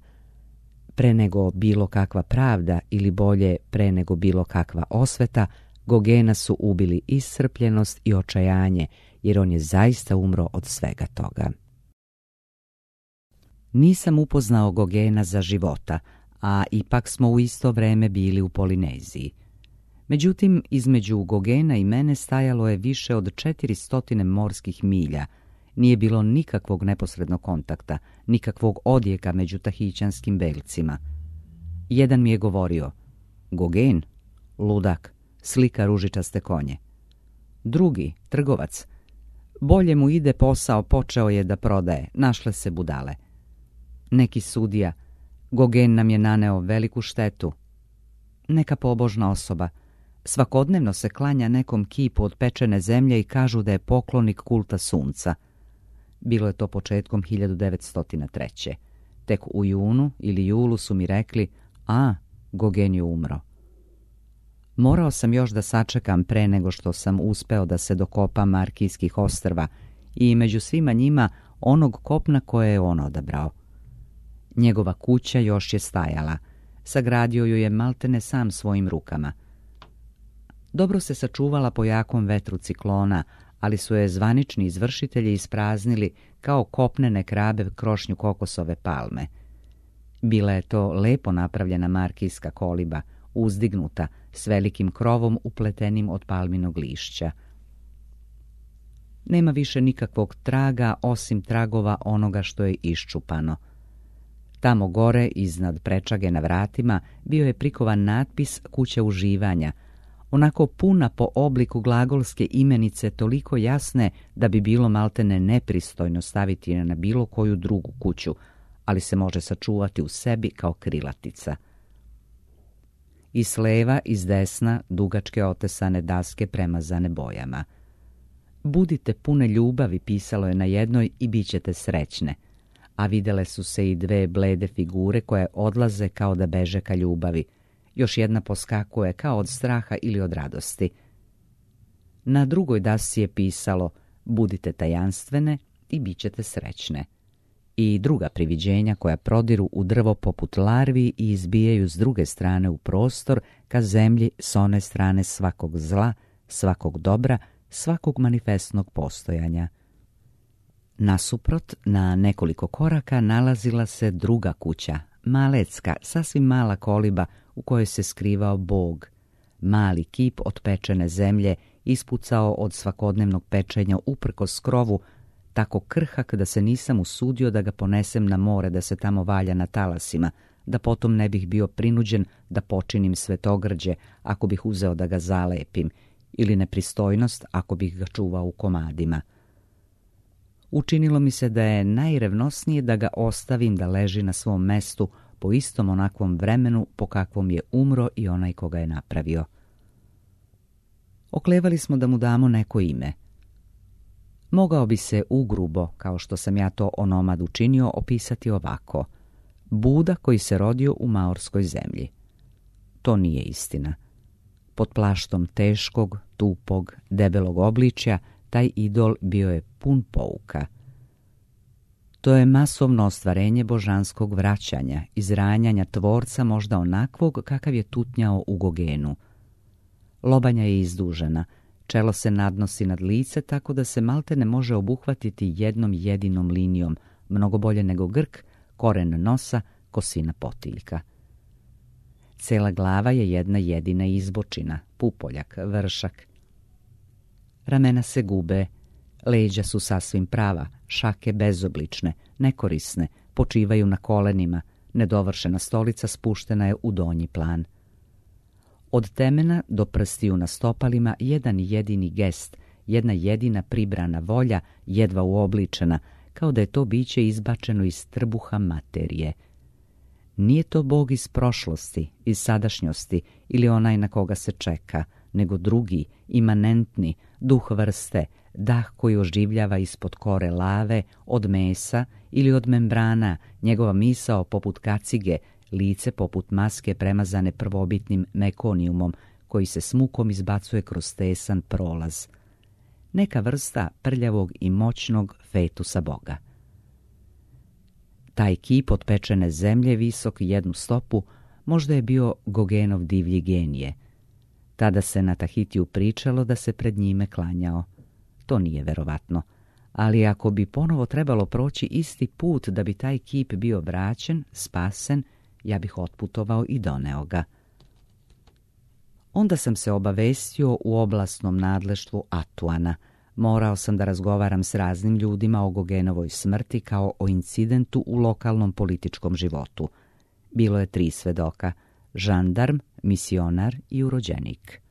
Pre nego bilo kakva pravda ili bolje pre nego bilo kakva osveta, Gogena su ubili iscrpljenost i očajanje, jer on je zaista umro od svega toga. Nisam upoznao Gogena za života, a ipak smo u isto vreme bili u Polineziji. Međutim, između Gogena i mene stajalo je više od 400 morskih milja. Nije bilo nikakvog neposrednog kontakta, nikakvog odjeka među tahićanskim belcima. Jedan mi je govorio: Gogen, ludak, slika ružičaste konje. Drugi, trgovac, bolje mu ide posao, počeo je da prodaje, našle se budale. Neki sudija, Gogen nam je naneo veliku štetu. Neka pobožna osoba, svakodnevno se klanja nekom kipu od pečene zemlje i kažu da je poklonik kulta sunca. Bilo je to početkom 1903. Tek u junu ili julu su mi rekli: Gogen je umro. Morao sam još da sačekam pre nego što sam uspeo da se dokopam Markijskih ostrva i među svima njima onog kopna koje je on odabrao. Njegova kuća još je stajala. Sagradio ju je maltene sam svojim rukama. Dobro se sačuvala po jakom vetru ciklona, ali su je zvanični izvršitelji ispraznili kao kopnene krabe krošnju kokosove palme. Bila je to lepo napravljena markijska koliba, uzdignuta, s velikim krovom upletenim od palminog lišća. Nema više nikakvog traga osim tragova onoga što je iščupano. Tamo gore, iznad prečage na vratima, bio je prikovan natpis kuća uživanja, onako puna po obliku glagolske imenice, toliko jasne da bi bilo maltene nepristojno staviti je na bilo koju drugu kuću, ali se može sačuvati u sebi kao krilatica. I s leva i s desna dugačke otesane daske premazane bojama. Budite pune ljubavi, pisalo je na jednoj, i bit ćete srećne, a videle su se i dve blede figure koje odlaze kao da beže ka ljubavi. Još jedna poskakuje kao od straha ili od radosti. Na drugoj dasci je pisalo: budite tajanstvene i bit ćete srećne. I druga priviđenja koja prodiru u drvo poput larvi i izbijaju s druge strane u prostor ka zemlji s one strane svakog zla, svakog dobra, svakog manifestnog postojanja. Nasuprot, na nekoliko koraka, nalazila se druga kuća, malecka, sasvim mala koliba u kojoj se skrivao Bog. Mali kip od pečene zemlje, ispucao od svakodnevnog pečenja uprkos krovu, tako krhak da se nisam usudio da ga ponesem na more da se tamo valja na talasima, da potom ne bih bio prinuđen da počinim svetogrđe ako bih uzeo da ga zalepim, ili nepristojnost ako bih ga čuvao u komadima. Učinilo mi se da je najrevnosnije da ga ostavim da leži na svom mestu po istom onakvom vremenu po kakvom je umro i onaj ko ga je napravio. Oklevali smo da mu damo neko ime. Mogao bi se ugrubo, kao što sam ja to onomad učinio, opisati ovako: Buda koji se rodio u maorskoj zemlji. To nije istina. Pod plaštom teškog, tupog, debelog obličja taj idol bio je pun pouka. To je masovno ostvarenje božanskog vraćanja, izranjanja tvorca možda onakvog kakav je tutnjao u Gogenu. Lobanja je izdužena, čelo se nadnosi nad lice tako da se maltene može obuhvatiti jednom jedinom linijom, mnogo bolje nego grk, koren nosa, kosina potiljka. Cela glava je jedna jedina izbočina, pupoljak, vršak. Ramena se gube, leđa su sasvim prava, šake bezoblične, nekorisne, počivaju na kolenima, nedovršena stolica spuštena je u donji plan. Od temena do prstiju na stopalima jedan jedini gest, jedna jedina pribrana volja, jedva uobličena, kao da je to biće izbačeno iz trbuha materije. Nije to Bog iz prošlosti, iz sadašnjosti ili onaj na koga se čeka, nego drugi, imanentni, duh vrste, dah koji oživljava ispod kore lave, od mesa ili od membrana, njegova misao poput kacige, lice poput maske premazane prvobitnim mekonijumom, koji se s mukom izbacuje kroz tesan prolaz. Neka vrsta prljavog i moćnog fetusa Boga. Taj kip od pečene zemlje, visok jednu stopu, možda je bio Gogenov divlji genije. Tada se na Tahitiju pričalo da se pred njime klanjao. To nije verovatno, ali ako bi ponovo trebalo proći isti put da bi taj kip bio vraćen, spasen, ja bih otputovao i doneo ga. Onda sam se obavestio u oblastnom nadleštvu Atuana. Morao sam da razgovaram s raznim ljudima o Gogenovoj smrti kao o incidentu u lokalnom političkom životu. Bilo je 3 svedoka, žandarm, misionar i urođenik.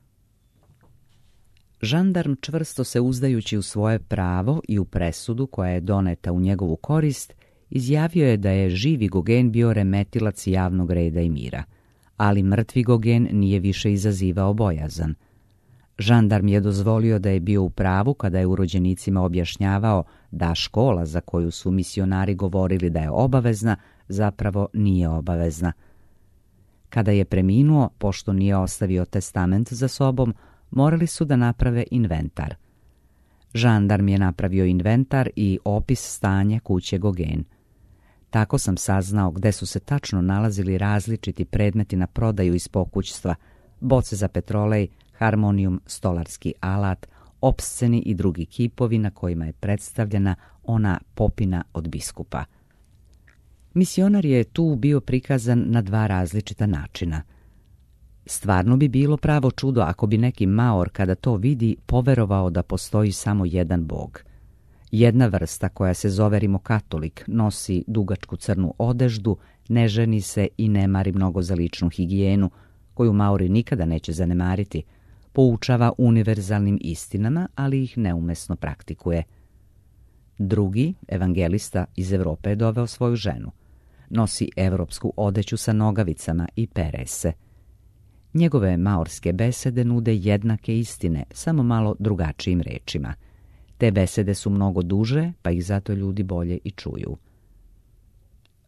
Žandarm, čvrsto se uzdajući u svoje pravo i u presudu koja je doneta u njegovu korist, izjavio je da je živi Gogen bio remetilac javnog reda i mira, ali mrtvi Gogen nije više izazivao bojazan. Žandarm je dozvolio da je bio u pravu kada je urođenicima objašnjavao da škola za koju su misionari govorili da je obavezna, zapravo nije obavezna. Kada je preminuo, pošto nije ostavio testament za sobom, morali su da naprave inventar. Žandarm je napravio inventar i opis stanja kuće Gogen. Tako sam saznao gde su se tačno nalazili različiti predmeti na prodaju iz pokućstva, boce za petrolej, harmonijum, stolarski alat, opsceni i drugi kipovi na kojima je predstavljena ona popina od biskupa. Misionar je tu bio prikazan na 2 različita načina. Stvarno bi bilo pravo čudo ako bi neki Maor kada to vidi poverovao da postoji samo jedan bog. Jedna vrsta koja se zove rimokatolik nosi dugačku crnu odeždu, ne ženi se i ne mari mnogo za ličnu higijenu, koju Maori nikada neće zanemariti, poučava univerzalnim istinama, ali ih neumesno praktikuje. Drugi, evangelista iz Evrope, je doveo svoju ženu. Nosi evropsku odeću sa nogavicama i pere se. Njegove maorske besede nude jednake istine, samo malo drugačijim rečima. Te besede su mnogo duže, pa ih zato ljudi bolje i čuju.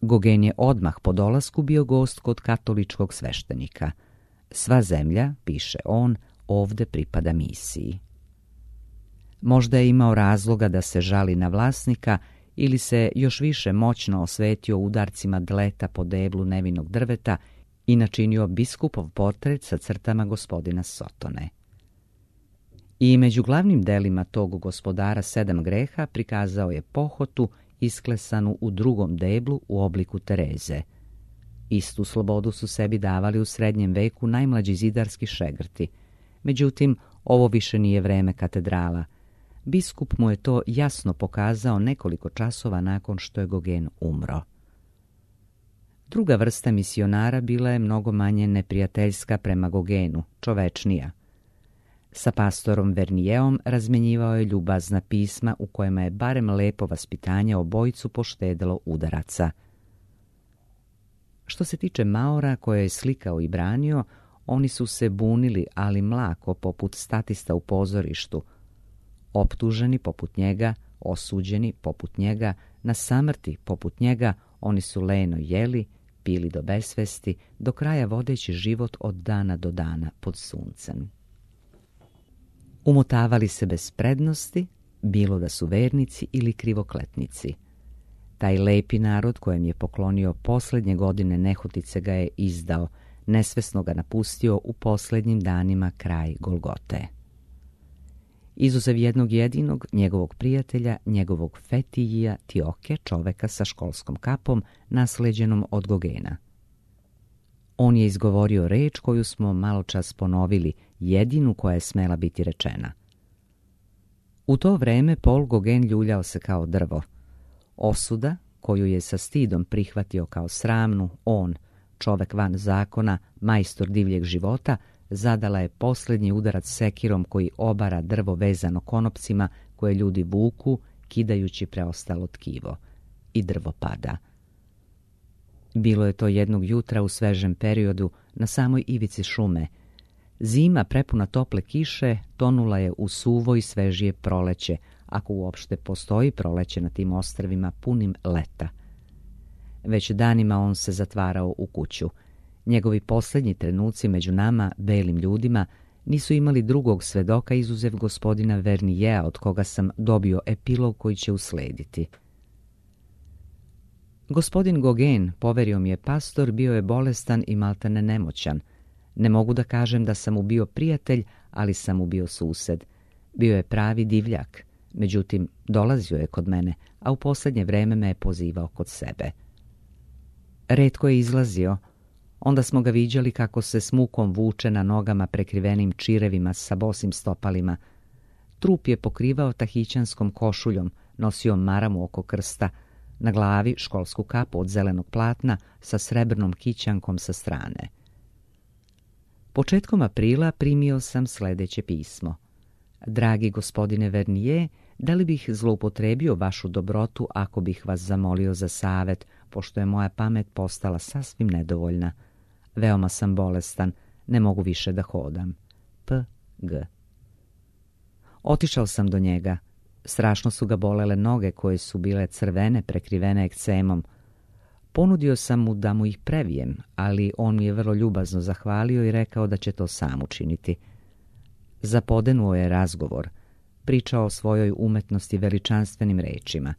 Gogen je odmah po dolasku bio gost kod katoličkog sveštenika. Sva zemlja, piše on, ovde pripada misiji. Možda je imao razloga da se žali na vlasnika ili se još više moćno osvetio udarcima dleta po deblu nevinog drveta i načinio biskupov portret sa crtama gospodina Sotone. I među glavnim delima tog gospodara 7 greha prikazao je pohotu isklesanu u drugom deblu u obliku Tereze. Istu slobodu su sebi davali u srednjem veku najmlađi zidarski šegrti. Međutim, ovo više nije vreme katedrala. Biskup mu je to jasno pokazao nekoliko časova nakon što je Gogen umro. Druga vrsta misionara bila je mnogo manje neprijateljska prema Gogenu, čovečnija. Sa pastorom Vernijeom razmenjivao je ljubazna pisma u kojima je barem lepo vaspitanje obojicu poštedelo udaraca. Što se tiče Maora koje je slikao i branio, oni su se bunili, ali mlako, poput statista u pozorištu. Optuženi poput njega, osuđeni poput njega, na samrti poput njega, oni su leno jeli, pili do besvesti, do kraja vodeći život od dana do dana pod suncem. Umotavali se bez prednosti, bilo da su vernici ili krivokletnici. Taj lepi narod kojem je poklonio posljednje godine nehotice ga je izdao, nesvesno ga napustio u posljednjim danima kraj Golgote. Izuzev jednog jedinog, njegovog prijatelja, njegovog Fetijija Tioke, čoveka sa školskom kapom, nasleđenom od Gogena. On je izgovorio reč koju smo maločas ponovili, jedinu koja je smela biti rečena. U to vreme Paul Gauguin ljuljao se kao drvo. Osuda, koju je sa stidom prihvatio kao sramnu, on, čovek van zakona, majstor divljeg života, zadala je posljednji udarac sekirom koji obara drvo vezano konopcima koje ljudi vuku, kidajući preostalo tkivo. I drvo pada. Bilo je to jednog jutra u svežem periodu na samoj ivici šume. Zima prepuna tople kiše tonula je u suvo i svežije proleće, ako uopšte postoji proleće na tim ostrvima punim leta. Već danima on se zatvarao u kuću. Njegovi posljednji trenuci među nama, belim ljudima, nisu imali drugog svedoka izuzev gospodina Vernijeja, od koga sam dobio epilog koji će uslediti. Gospodin Gauguin, poverio mi je pastor, bio je bolestan i maltene nemoćan. Ne mogu da kažem da sam mu bio prijatelj, ali sam mu bio sused. Bio je pravi divljak. Međutim, dolazio je kod mene, a u posljednje vreme me je pozivao kod sebe. Retko je izlazio. Onda smo ga viđali kako se s mukom vuče na nogama prekrivenim čirevima sa bosim stopalima. Trup je pokrivao tahićanskom košuljom, nosio maramu oko krsta, na glavi školsku kapu od zelenog platna sa srebrnom kićankom sa strane. Početkom aprila primio sam sljedeće pismo. Dragi gospodine Vernier, da li bih zloupotrebio vašu dobrotu ako bih vas zamolio za savjet, pošto je moja pamet postala sasvim nedovoljna. Veoma sam bolestan, ne mogu više da hodam. P.G. Otišao sam do njega. Strašno su ga bolele noge koje su bile crvene, prekrivene ekcemom. Ponudio sam mu da mu ih previjem, ali on mi je vrlo ljubazno zahvalio i rekao da će to sam učiniti. Zapodenuo je razgovor. Pričao o svojoj umetnosti veličanstvenim rečima.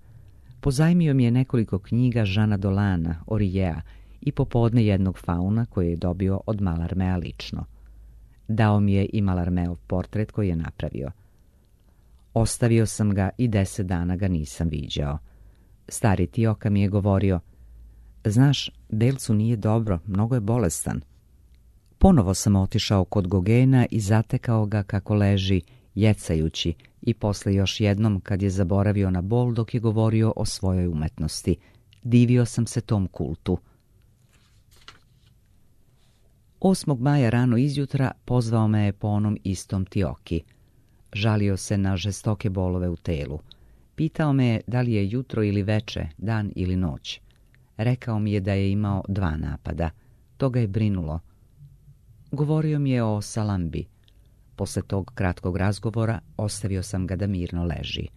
Pozajmio mi je nekoliko knjiga Žana Dolana, Orijea i popodne jednog fauna koji je dobio od Malarmea lično. Dao mi je i Malarmeov portret koji je napravio. Ostavio sam ga i 10 dana ga nisam viđao. Stari Tioka mi je govorio: znaš, Belcu nije dobro, mnogo je bolestan. Ponovo sam otišao kod Gogena i zatekao ga kako leži, jecajući, i posle još jednom kad je zaboravio na bol dok je govorio o svojoj umetnosti. Divio sam se tom kultu. 8. maja rano izjutra pozvao me je po onom istom Tioki. Žalio se na žestoke bolove u telu. Pitao me je da li je jutro ili veče, dan ili noć. Rekao mi je da je imao 2 napada. To ga je brinulo. Govorio mi je o Salambi. Posle tog kratkog razgovora ostavio sam ga da mirno leži.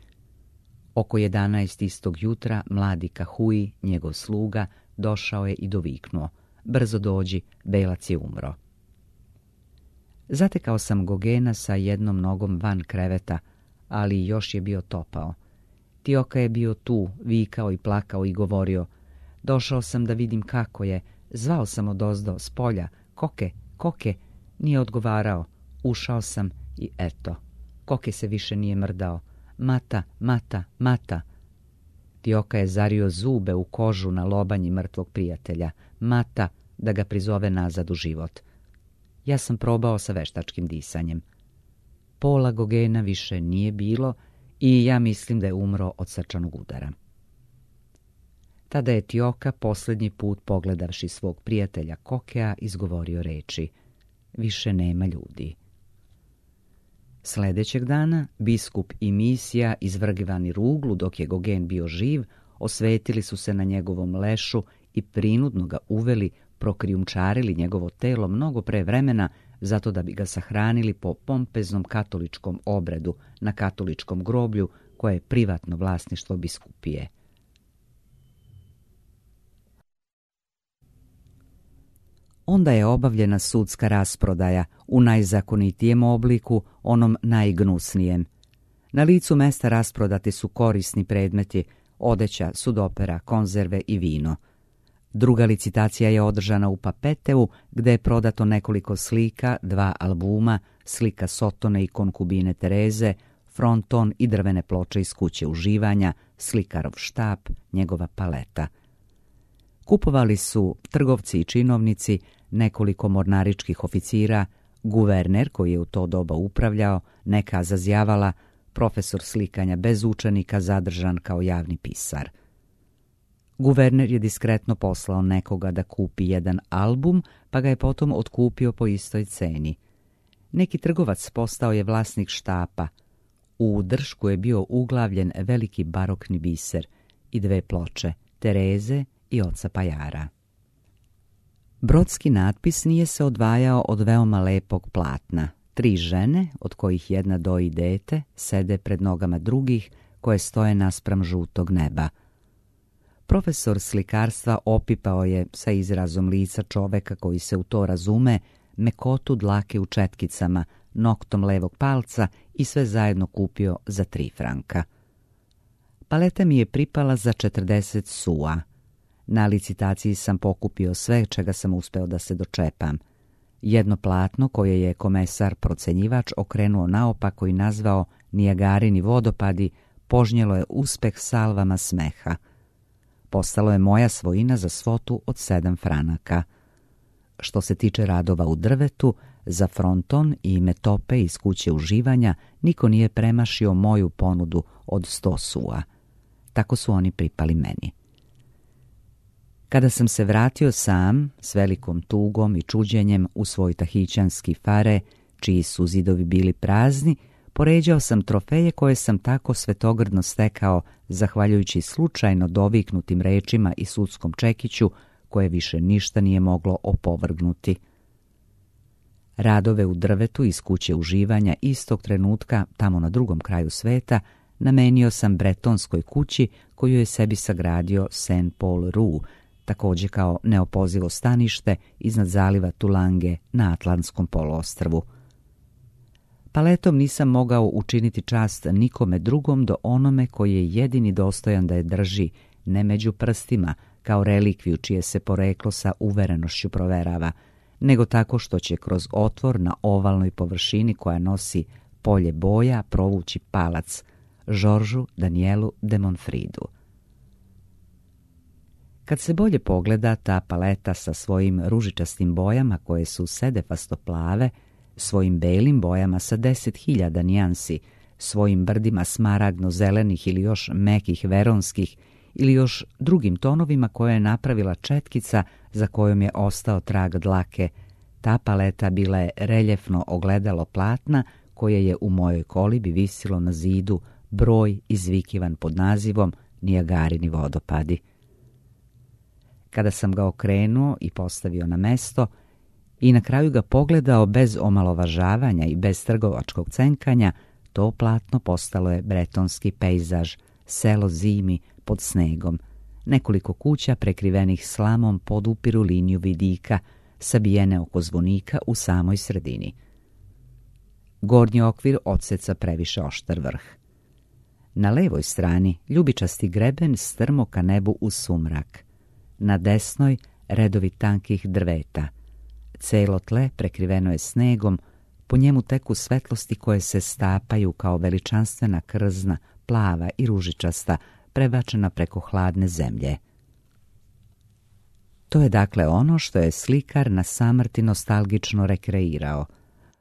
Oko 11 istog jutra mladi Kahui, njegov sluga, došao je i doviknuo: brzo dođi, Belac je umro. Zatekao sam Gogena sa jednom nogom van kreveta, ali još je bio topao. Tioka je bio tu, vikao i plakao i govorio: došao sam da vidim kako je, zvao sam odozdo, s polja, Koke, Koke, nije odgovarao. Ušao sam i eto, Koke se više nije mrdao. Mata, mata, mata. Tioka je zario zube u kožu na lobanji mrtvog prijatelja. Mata, da ga prizove nazad u život. Ja sam probao sa veštačkim disanjem. Pola Gogena više nije bilo i ja mislim da je umro od srčanog udara. Tada je Tioka posljednji put, pogledavši svog prijatelja Kokea, izgovorio reči: više nema ljudi. Sljedećeg dana biskup i misija, izvrgivani ruglu dok je Gogen bio živ, osvetili su se na njegovom lešu i prinudno ga uveli, prokrijumčarili njegovo telo mnogo pre vremena, zato da bi ga sahranili po pompeznom katoličkom obredu na katoličkom groblju koje je privatno vlasništvo biskupije. Onda je obavljena sudska rasprodaja u najzakonitijem obliku, onom najgnusnijem. Na licu mesta rasprodati su korisni predmeti, odeća, sudopera, konzerve i vino. Druga licitacija je održana u Papeteu, gde je prodato nekoliko slika, 2 albuma, slika Sotone i konkubine Tereze, fronton i drvene ploče iz kuće uživanja, slikarov štap, njegova paleta. Kupovali su trgovci i činovnici, nekoliko mornaričkih oficira, guverner koji je u to doba upravljao, neka zazjavala, profesor slikanja bez učenika zadržan kao javni pisar. Guverner je diskretno poslao nekoga da kupi jedan album, pa ga je potom otkupio po istoj ceni. Neki trgovac postao je vlasnik štapa. U dršku je bio uglavljen veliki barokni biser i 2 ploče, Tereze i oca Pajara. Brodski natpis nije se odvajao od veoma lepog platna. 3 žene, od kojih jedna doji dete, sede pred nogama drugih koje stoje naspram žutog neba. Profesor slikarstva opipao je sa izrazom lica čoveka koji se u to razume mekotu dlake u četkicama, noktom levog palca i sve zajedno kupio za 3 franka. Paleta mi je pripala za 40 sua. Na licitaciji sam pokupio sve čega sam uspeo da se dočepam. Jedno platno koje je komesar procenjivač okrenuo naopako i nazvao Nijagarini vodopadi požnjelo je uspeh salvama smeha. Postalo je moja svojina za svotu od 7 franaka. Što se tiče radova u drvetu, za fronton i metope iz kuće uživanja niko nije premašio moju ponudu od 100 sua. Tako su oni pripali meni. Kada sam se vratio sam, s velikom tugom i čuđenjem u svoj tahićanski fare, čiji su zidovi bili prazni, poređao sam trofeje koje sam tako svetogrdno stekao, zahvaljujući slučajno doviknutim rečima i sudskom čekiću, koje više ništa nije moglo opovrgnuti. Radove u drvetu iz kuće uživanja istog trenutka, tamo na drugom kraju sveta, namenio sam bretonskoj kući koju je sebi sagradio Saint Paul Rue, također kao neopozivo stanište iznad zaliva Tulange na Atlantskom poluostrvu. Paletom nisam mogao učiniti čast nikome drugom do onome koji je jedini dostojan da je drži, ne među prstima, kao relikviju čije se poreklo sa uverenošću proverava, nego tako što će kroz otvor na ovalnoj površini koja nosi polje boja provući palac, Georgesu Danielu de Montfridu. Kad se bolje pogleda, ta paleta sa svojim ružičastim bojama koje su sedefasto plave, svojim belim bojama sa 10.000 nijansi, svojim brdima smaragno-zelenih ili još mekih veronskih ili još drugim tonovima koje je napravila četkica za kojom je ostao trag dlake, ta paleta bila je reljefno ogledalo platna koje je u mojoj kolibi visilo na zidu broj izvikivan pod nazivom Nijagarini vodopadi. Kada sam ga okrenuo i postavio na mesto i na kraju ga pogledao bez omalovažavanja i bez trgovačkog cenkanja, to platno postalo je bretonski pejzaž, selo zimi pod snegom, nekoliko kuća prekrivenih slamom podupiru liniju vidika, sabijene oko zvonika u samoj sredini. Gornji okvir odseca previše oštar vrh. Na levoj strani ljubičasti greben strmo ka nebu u sumrak. Na desnoj redovi tankih drveta. Celo tle prekriveno je snegom, po njemu teku svetlosti koje se stapaju kao veličanstvena krzna, plava i ružičasta, prebačena preko hladne zemlje. To je dakle ono što je slikar na samrti nostalgično rekreirao.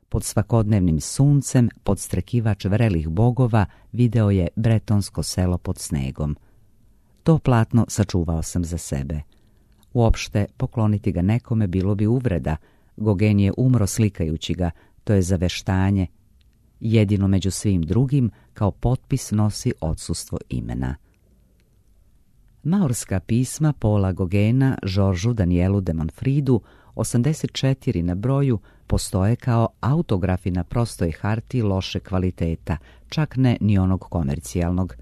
Pod svakodnevnim suncem, podstrekivač vrelih bogova, video je bretonsko selo pod snegom. To platno sačuvao sam za sebe. Uopšte pokloniti ga nekome bilo bi uvreda. Gauguin je umro slikajući ga, to je zaveštanje. Jedino među svim drugim kao potpis nosi odsustvo imena. Maorska pisma Paula Gauguina Georgesu Danielu de Montfridu, 84 na broju, postoje kao autografi na prostoj hartiji loše kvaliteta, čak ne ni onog komercijalnog.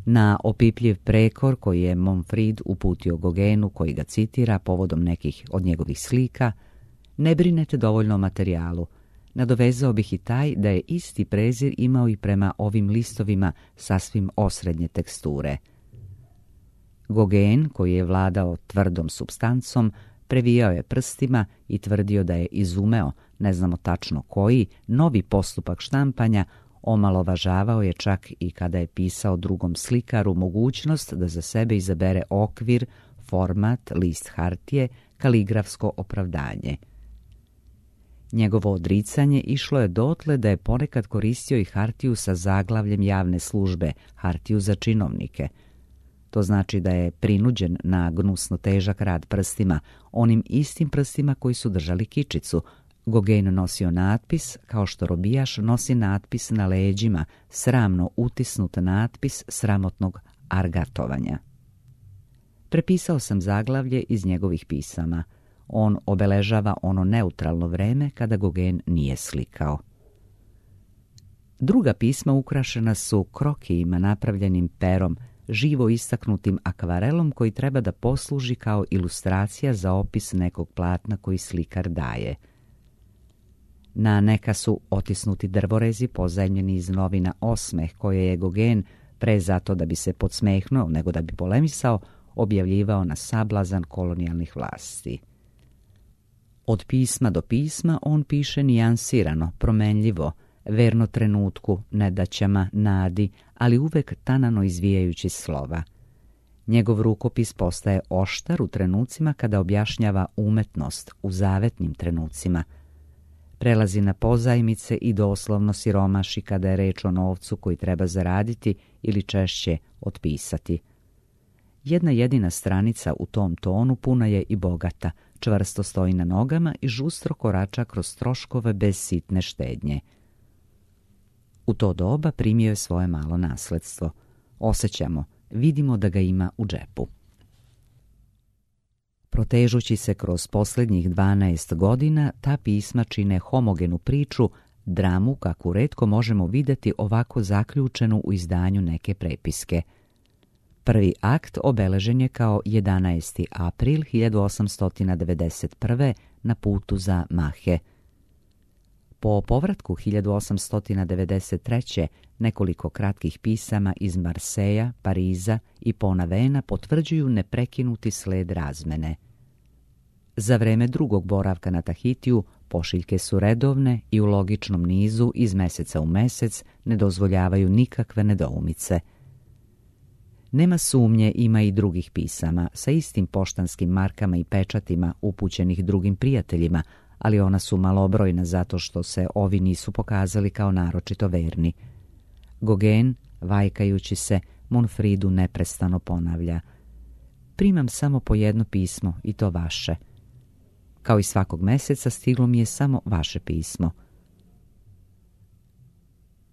Na opipljiv prekor koji je Montfrid uputio Gauguinu, koji ga citira povodom nekih od njegovih slika, ne brinete dovoljno o materijalu. Nadovezao bih i taj da je isti prezir imao i prema ovim listovima sasvim osrednje teksture. Gauguin, koji je vladao tvrdom supstancom, previjao je prstima i tvrdio da je izumeo, ne znamo tačno koji, novi postupak štampanja, omalovažavao je čak i kada je pisao drugom slikaru mogućnost da za sebe izabere okvir, format, list hartije, kaligrafsko opravdanje. Njegovo odricanje išlo je dotle da je ponekad koristio i hartiju sa zaglavljem javne službe, hartiju za činovnike. To znači da je prinuđen na gnusno težak rad prstima, onim istim prstima koji su držali kičicu. Gauguin nosio natpis, kao što robijaš nosi natpis na leđima, sramno utisnut natpis sramotnog argatovanja. Prepisao sam zaglavlje iz njegovih pisama. On obeležava ono neutralno vreme kada Gauguin nije slikao. Druga pisma ukrašena su krokijima napravljenim perom, živo istaknutim akvarelom koji treba da posluži kao ilustracija za opis nekog platna koji slikar daje. Na neka su otisnuti drvorezi pozajmljeni iz novina Osmeh, koje je Gauguin, pre zato da bi se podsmehnuo nego da bi polemisao, objavljivao na sablazan kolonijalnih vlasti. Od pisma do pisma on piše nijansirano, promenljivo, verno trenutku, nedaćama, nadi, ali uvek tanano izvijajući slova. Njegov rukopis postaje oštar u trenucima kada objašnjava umetnost, u zavetnim trenucima. Prelazi na pozajmice i doslovno siromaši kada je reč o novcu koji treba zaraditi ili češće otpisati. Jedna jedina stranica u tom tonu puna je i bogata, čvrsto stoji na nogama i žustro korača kroz troškove bez sitne štednje. U to doba primio je svoje malo nasledstvo. Osjećamo, vidimo da ga ima u džepu. Protežući se kroz posljednjih 12 godina, ta pisma čine homogenu priču, dramu kakvu retko možemo vidjeti ovako zaključenu u izdanju neke prepiske. Prvi akt obeležen je kao 11. april 1891. na putu za Mahe. Po povratku 1893. nekoliko kratkih pisama iz Marseja, Pariza i Ponavena potvrđuju neprekinuti sled razmene. Za vreme drugog boravka na Tahitiju pošiljke su redovne i u logičnom nizu iz meseca u mesec ne dozvoljavaju nikakve nedoumice. Nema sumnje, ima i drugih pisama sa istim poštanskim markama i pečatima upućenih drugim prijateljima, ali ona su malobrojna zato što se ovi nisu pokazali kao naročito verni. Gauguin, vajkajući se, Monfridu neprestano ponavlja: primam samo po jedno pismo i to vaše. Kao i svakog meseca stiglo mi je samo vaše pismo.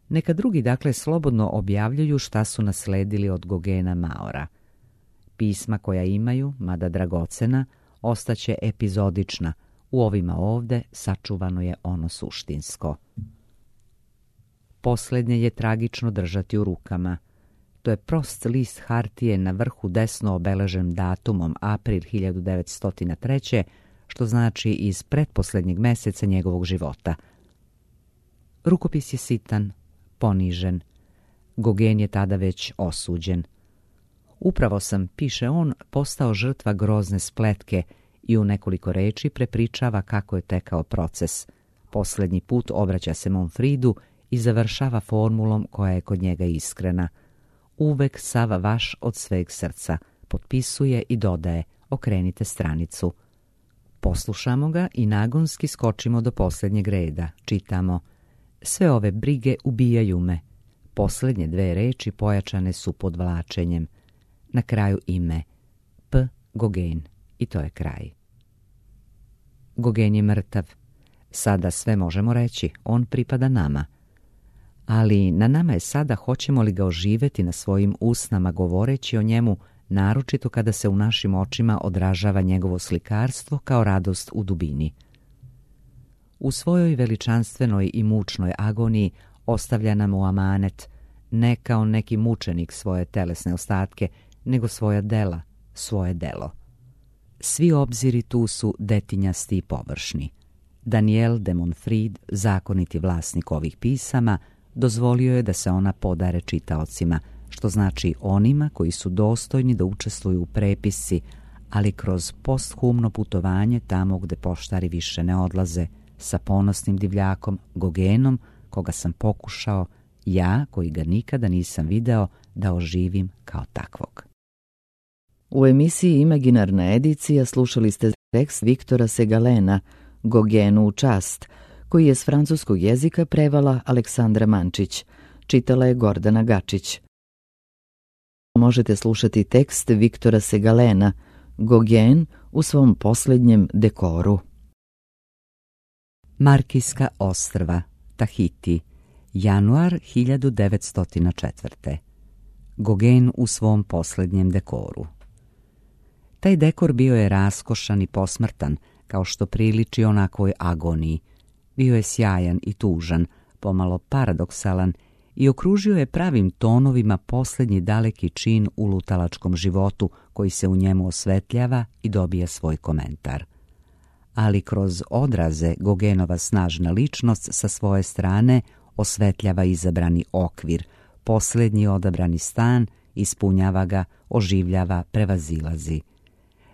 Neka drugi dakle slobodno objavljuju šta su nasledili od Gauguina Maura. Pisma koja imaju, mada dragocena, ostaće epizodična. U ovima ovde sačuvano je ono suštinsko. Posljednje je tragično držati u rukama. To je prost list hartije na vrhu desno obeležen datumom april 1903. što znači iz pretposljednjeg meseca njegovog života. Rukopis je sitan, ponižen. Gauguin je tada već osuđen. Upravo sam, piše on, postao žrtva grozne spletke i u nekoliko reči prepričava kako je tekao proces. Posljednji put obraća se Monfridu i završava formulom koja je kod njega iskrena. Uvek sav vaš od sveg srca. Potpisuje i dodaje: okrenite stranicu. Poslušamo ga i nagonski skočimo do posljednjeg reda. Čitamo: sve ove brige ubijaju me. Posljednje dve reči pojačane su podvlačenjem. Na kraju ime P. Gauguin. I to je kraj. Gauguin je mrtav. Sada sve možemo reći, on pripada nama. Ali na nama je sada hoćemo li ga oživjeti na svojim usnama govoreći o njemu, naročito kada se u našim očima odražava njegovo slikarstvo kao radost u dubini. U svojoj veličanstvenoj i mučnoj agoniji ostavlja nam u amanet, ne kao neki mučenik svoje telesne ostatke, nego svoja dela, svoje delo. Svi obziri tu su detinjasti i površni. Daniel de Monfrid, zakoniti vlasnik ovih pisama, dozvolio je da se ona podare čitaocima, što znači onima koji su dostojni da učestvuju u prepisci, ali kroz posthumno putovanje tamo gde poštari više ne odlaze, sa ponosnim divljakom Gauguinom, koga sam pokušao, ja koji ga nikada nisam video, da oživim kao takvog. U emisiji Imaginarna edicija slušali ste tekst Viktora Segalena, Gauguinu u čast, koji je s francuskog jezika prevala Aleksandra Mančić. Čitala je Gordana Gačić. Možete slušati tekst Viktora Segalena, Gauguin u svom posljednjem dekoru. Markijska ostrva, Tahiti, januar 1904. Gauguin u svom posljednjem dekoru. Taj dekor bio je raskošan i posmrtan, kao što priliči onakvoj agoniji. Bio je sjajan i tužan, pomalo paradoksalan i okružio je pravim tonovima posljednji daleki čin u lutalačkom životu koji se u njemu osvetljava i dobija svoj komentar. Ali kroz odraze Gauguinova snažna ličnost sa svoje strane osvetljava izabrani okvir, posljednji odabrani stan, ispunjava ga, oživljava, prevazilazi.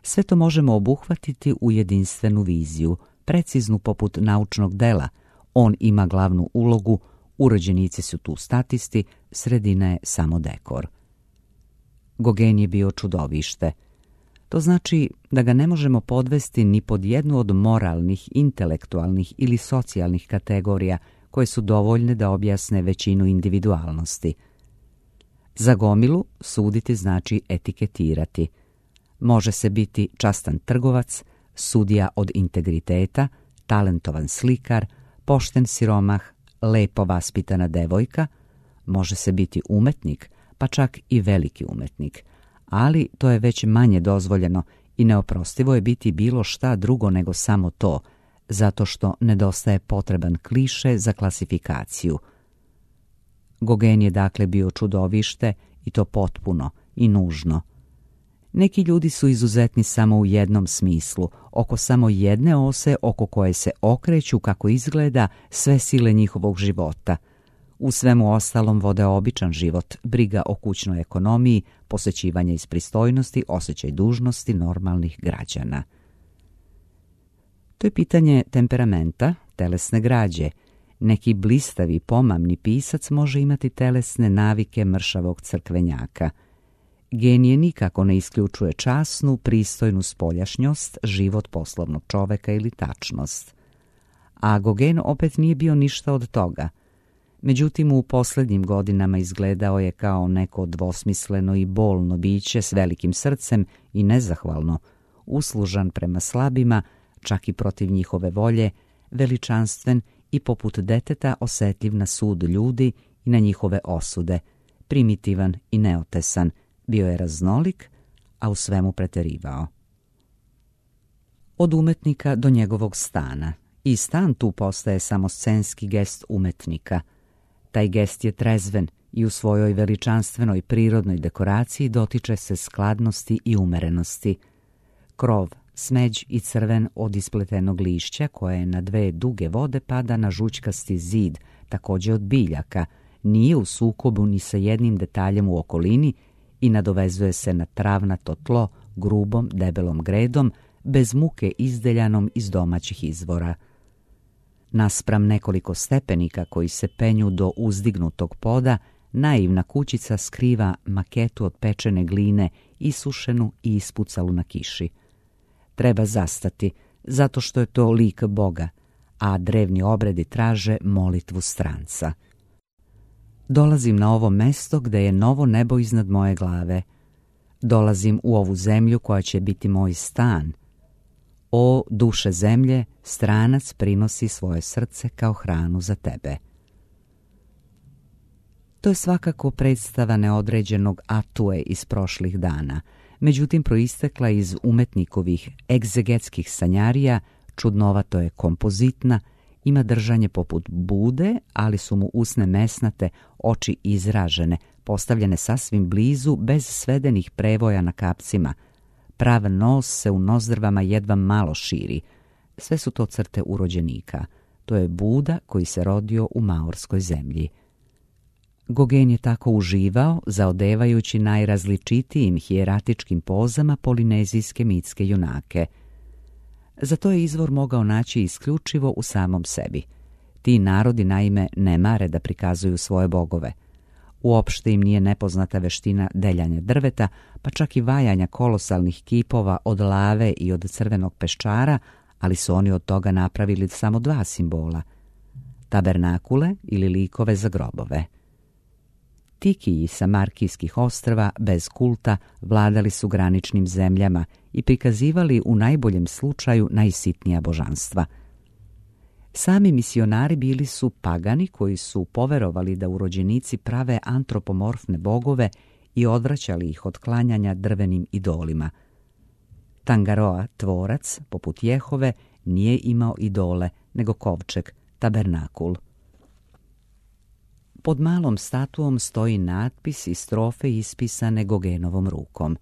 Sve to možemo obuhvatiti u jedinstvenu viziju, preciznu poput naučnog dela. On ima glavnu ulogu, urođenici su tu statisti, sredina je samo dekor. Gauguin je bio čudovište. To znači da ga ne možemo podvesti ni pod jednu od moralnih, intelektualnih ili socijalnih kategorija koje su dovoljne da objasne većinu individualnosti. Za gomilu suditi znači etiketirati. Može se biti častan trgovac, sudija od integriteta, talentovan slikar, pošten siromah, lepo vaspitana devojka, može se biti umetnik, pa čak i veliki umetnik, ali to je već manje dozvoljeno i neoprostivo je biti bilo šta drugo nego samo to, zato što nedostaje potreban kliše za klasifikaciju. Gauguin je dakle bio čudovište i to potpuno i nužno. Neki ljudi su izuzetni samo u jednom smislu, oko samo jedne ose oko koje se okreću kako izgleda sve sile njihovog života. U svemu ostalom vode običan život, briga o kućnoj ekonomiji, posvećivanje iz pristojnosti, osjećaj dužnosti normalnih građana. To je pitanje temperamenta, telesne građe. Neki blistavi, pomamni pisac može imati telesne navike mršavog crkvenjaka. Genije nikako ne isključuje časnu, pristojnu spoljašnjost, život poslovnog čoveka ili tačnost. A Gauguin opet nije bio ništa od toga. Međutim, u posljednjim godinama izgledao je kao neko dvosmisleno i bolno biće s velikim srcem i nezahvalno, uslužan prema slabima, čak i protiv njihove volje, veličanstven i poput deteta osjetljiv na sud ljudi i na njihove osude, primitivan i neotesan, bio je raznolik, a u svemu preterivao. Od umetnika do njegovog stana. I stan tu postaje samo scenski gest umetnika. Taj gest je trezven i u svojoj veličanstvenoj prirodnoj dekoraciji dotiče se skladnosti i umerenosti. Krov, smeđ i crven od ispletenog lišća koje na dve duge vode pada na žućkasti zid, također od biljaka, nije u sukobu ni sa jednim detaljem u okolini i nadovezuje se na travnato tlo grubom, debelom gredom, bez muke izdeljanom iz domaćih izvora. Naspram nekoliko stepenika koji se penju do uzdignutog poda, naivna kućica skriva maketu od pečene gline, isušenu i ispucalu na kiši. Treba zastati, zato što je to lik Boga, a drevni obredi traže molitvu stranca. Dolazim na ovo mesto gde je novo nebo iznad moje glave. Dolazim u ovu zemlju koja će biti moj stan. O, duše zemlje, stranac prinosi svoje srce kao hranu za tebe. To je svakako predstava neodređenog atue iz prošlih dana, međutim proistekla iz umetnikovih egzegetskih sanjarija, čudnovato je kompozitna, ima držanje poput bude, ali su mu usne mesnate, oči izražene, postavljene sasvim blizu, bez svedenih prevoja na kapcima. Prav nos se u nozdrvama jedva malo širi. Sve su to crte urođenika. To je Buda koji se rodio u maorskoj zemlji. Gauguin je tako uživao, zaodevajući najrazličitijim hijeratičkim pozama polinezijske mitske junake. Za to je izvor mogao naći isključivo u samom sebi. Ti narodi naime ne mare da prikazuju svoje bogove. Uopšte im nije nepoznata veština deljanja drveta, pa čak i vajanja kolosalnih kipova od lave i od crvenog peščara, ali su oni od toga napravili samo dva simbola. Tabernakule ili likove za grobove. Tikiji sa Markijskih ostrva bez kulta vladali su graničnim zemljama i prikazivali u najboljem slučaju najsitnija božanstva. Sami misionari bili su pagani koji su poverovali da urođenici prave antropomorfne bogove i odvraćali ih od klanjanja drvenim idolima. Tangaroa, tvorac, poput Jehove, nije imao idole, nego kovčeg, tabernakul. Pod malom statuom stoji natpis i strofe ispisane Gauguinovom rukom.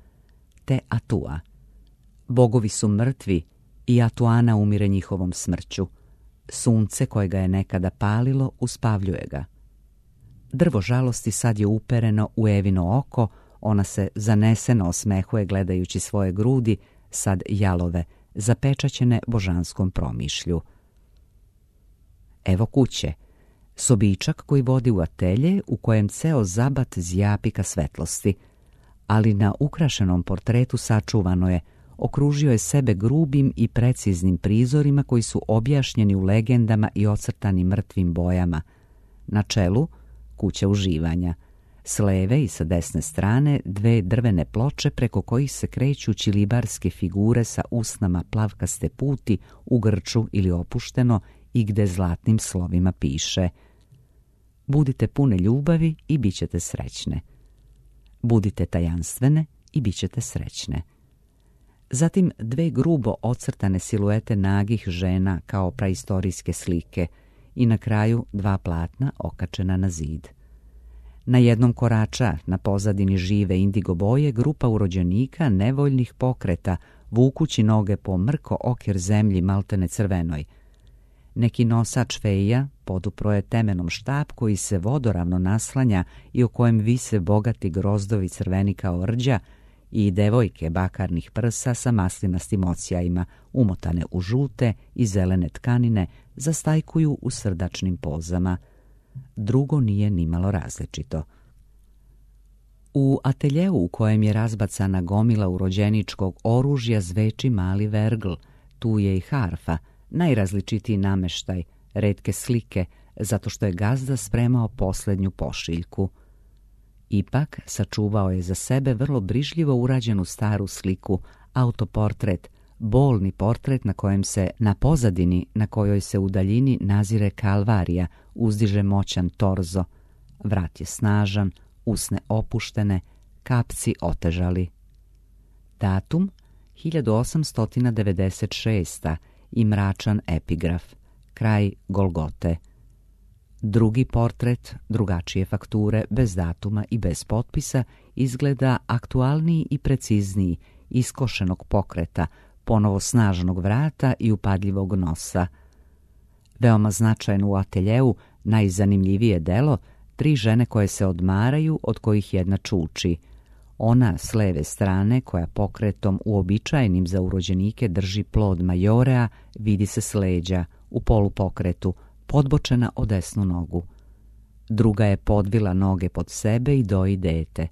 Te Atua. Bogovi su mrtvi i Atuana umire njihovom smrću. Sunce koje ga je nekada palilo uspavljuje ga. Drvo žalosti sad je upereno u Evino oko, ona se zaneseno osmehuje gledajući svoje grudi, sad jalove, zapečaćene božanskom promišlju. Evo kuće, sobičak koji vodi u atelje u kojem ceo zabat zjapi ka svetlosti, ali na ukrašenom portretu sačuvano je, okružio je sebe grubim i preciznim prizorima koji su objašnjeni u legendama i ocrtani mrtvim bojama. Na čelu kuća uživanja, s leve i sa desne strane dve drvene ploče preko kojih se kreću ćilibarske figure sa usnama plavkaste puti u grču ili opušteno i gde zlatnim slovima piše: budite pune ljubavi i bit ćete srećne. Budite tajanstvene i bit ćete srećne. Zatim dve grubo ocrtane siluete nagih žena kao praistorijske slike i na kraju dva platna okačena na zid. Na jednom korača, na pozadini žive indigo boje, grupa urođenika nevoljnih pokreta, vukući noge po mrko okir zemlji maltene crvenoj. Neki nosač feja podupro je temenom štap koji se vodoravno naslanja i o kojem vise bogati grozdovi crveni kao rđa, i devojke bakarnih prsa sa maslinastim ocijajima, umotane u žute i zelene tkanine, zastajkuju u srdačnim pozama. Drugo nije nimalo različito. U ateljeu u kojem je razbacana gomila urođeničkog oružja zveči mali vergl, tu je i harfa, najrazličitiji nameštaj, retke slike, zato što je gazda spremao posljednju pošiljku. Ipak sačuvao je za sebe vrlo brižljivo urađenu staru sliku, autoportret, bolni portret na kojem se na pozadini, na kojoj se u daljini nazire Kalvarija, uzdiže moćan torzo. Vrat je snažan, usne opuštene, kapci otežali. Datum 1896. i mračan epigraf, kraj Golgote. Drugi portret, drugačije fakture, bez datuma i bez potpisa, izgleda aktualniji i precizniji, iskošenog pokreta, ponovo snažnog vrata i upadljivog nosa. Veoma značajno u ateljeu, najzanimljivije delo, tri žene koje se odmaraju, od kojih jedna čuči. Ona s leve strane, koja pokretom uobičajenim za urođenike drži plod majorea, vidi se s leđa, u polupokretu, podbočena o desnu nogu. Druga je podvila noge pod sebe i doji dete.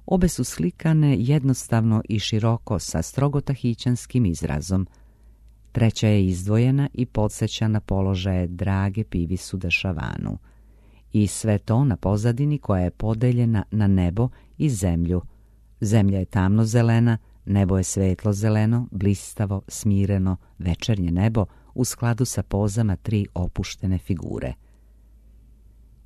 Obe su slikane jednostavno i široko sa strogo tahićanskim izrazom. Treća je izdvojena i podsjeća na položaje drage Pivisu dešavanu. I sve to na pozadini koja je podeljena na nebo i zemlju. Zemlja je tamno zelena, nebo je svetlo zeleno, blistavo, smireno, večernje nebo u skladu sa pozama tri opuštene figure.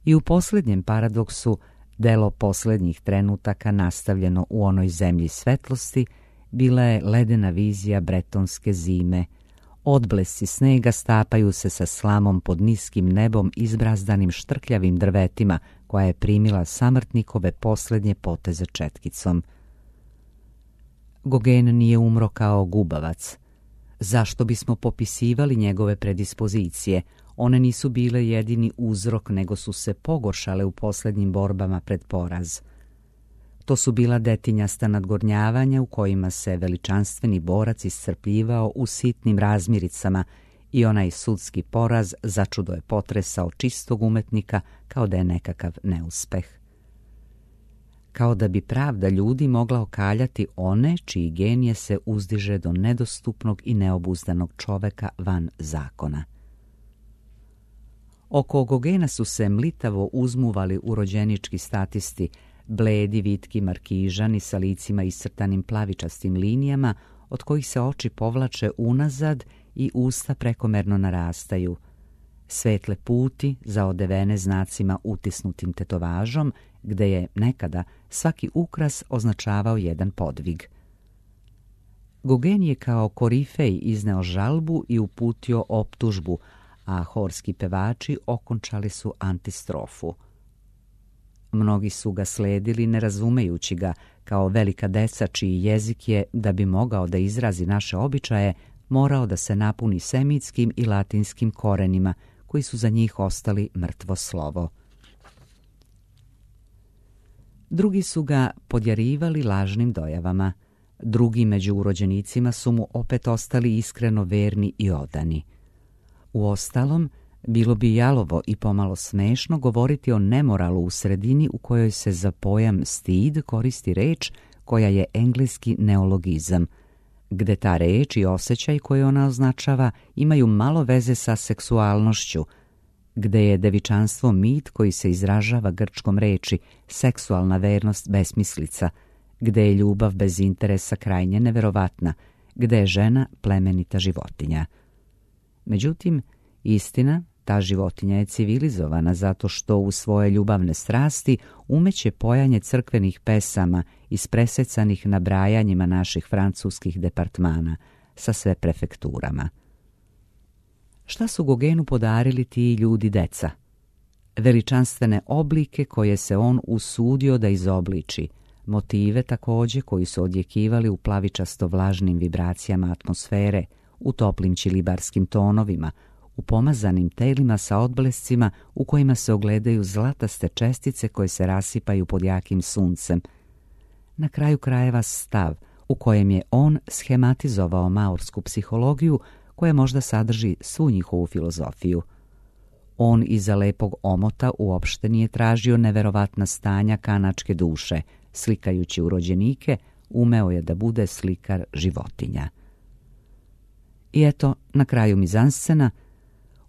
I u posljednjem paradoksu, delo posljednjih trenutaka nastavljeno u onoj zemlji svetlosti, bila je ledena vizija bretonske zime. Odblesci snega stapaju se sa slamom pod niskim nebom izbrazdanim štrkljavim drvetima, koja je primila samrtnikove posljednje poteze četkicom. Gogen nije umro kao gubavac. Zašto bismo popisivali njegove predispozicije? One nisu bile jedini uzrok, nego su se pogoršale u posljednjim borbama pred poraz. To su bila detinjasta nadgornjavanja u kojima se veličanstveni borac iscrpljivao u sitnim razmiricama i onaj sudski poraz začudo je potresao čistog umetnika kao da je nekakav neuspeh. Kao da bi pravda ljudi mogla okaljati one čiji genije se uzdiže do nedostupnog i neobuzdanog čoveka van zakona. Oko Gogena su se mlitavo uzmuvali urođenički statisti, bledi, vitki markižani sa licima iscrtanim plavičastim linijama, od kojih se oči povlače unazad i usta prekomerno narastaju. Svetle puti zaodevene znacima utisnutim tetovažom, gde je nekada svaki ukras označavao jedan podvig. Gogen je kao korifej izneo žalbu i uputio optužbu, a horski pevači okončali su antistrofu. Mnogi su ga sledili ne razumejući ga, kao velika deca čiji jezik je, da bi mogao da izrazi naše običaje, morao da se napuni semitskim i latinskim korenima, koji su za njih ostali mrtvo slovo. Drugi su ga podjarivali lažnim dojavama. Drugi među urođenicima su mu opet ostali iskreno verni i odani. Uostalom, bilo bi jalovo i pomalo smešno govoriti o nemoralu u sredini u kojoj se za pojam stid koristi reč koja je engleski neologizam, gde ta reč i osjećaj koje ona označava imaju malo veze sa seksualnošću, gde je devičanstvo mit koji se izražava grčkom reči, seksualna vernost besmislica, gde je ljubav bez interesa krajnje neverovatna, gde je žena plemenita životinja. Međutim, istina, ta životinja je civilizovana zato što u svoje ljubavne strasti umeće pojanje crkvenih pesama ispresecanih nabrajanjima naših francuskih departmana sa sve prefekturama. Šta su Gogenu podarili ti ljudi deca? Veličanstvene oblike koje se on usudio da izobliči, motive također koji su odjekivali u plavičasto vlažnim vibracijama atmosfere, u toplim čilibarskim tonovima, u pomazanim telima sa odblescima u kojima se ogledaju zlataste čestice koje se rasipaju pod jakim suncem. Na kraju krajeva stav u kojem je on schematizovao maorsku psihologiju koja možda sadrži svu njihovu filozofiju. On iza lepog omota uopšte nije tražio neverovatna stanja kanačke duše, slikajući urođenike, umeo je da bude slikar životinja. I eto, na kraju mizanscena,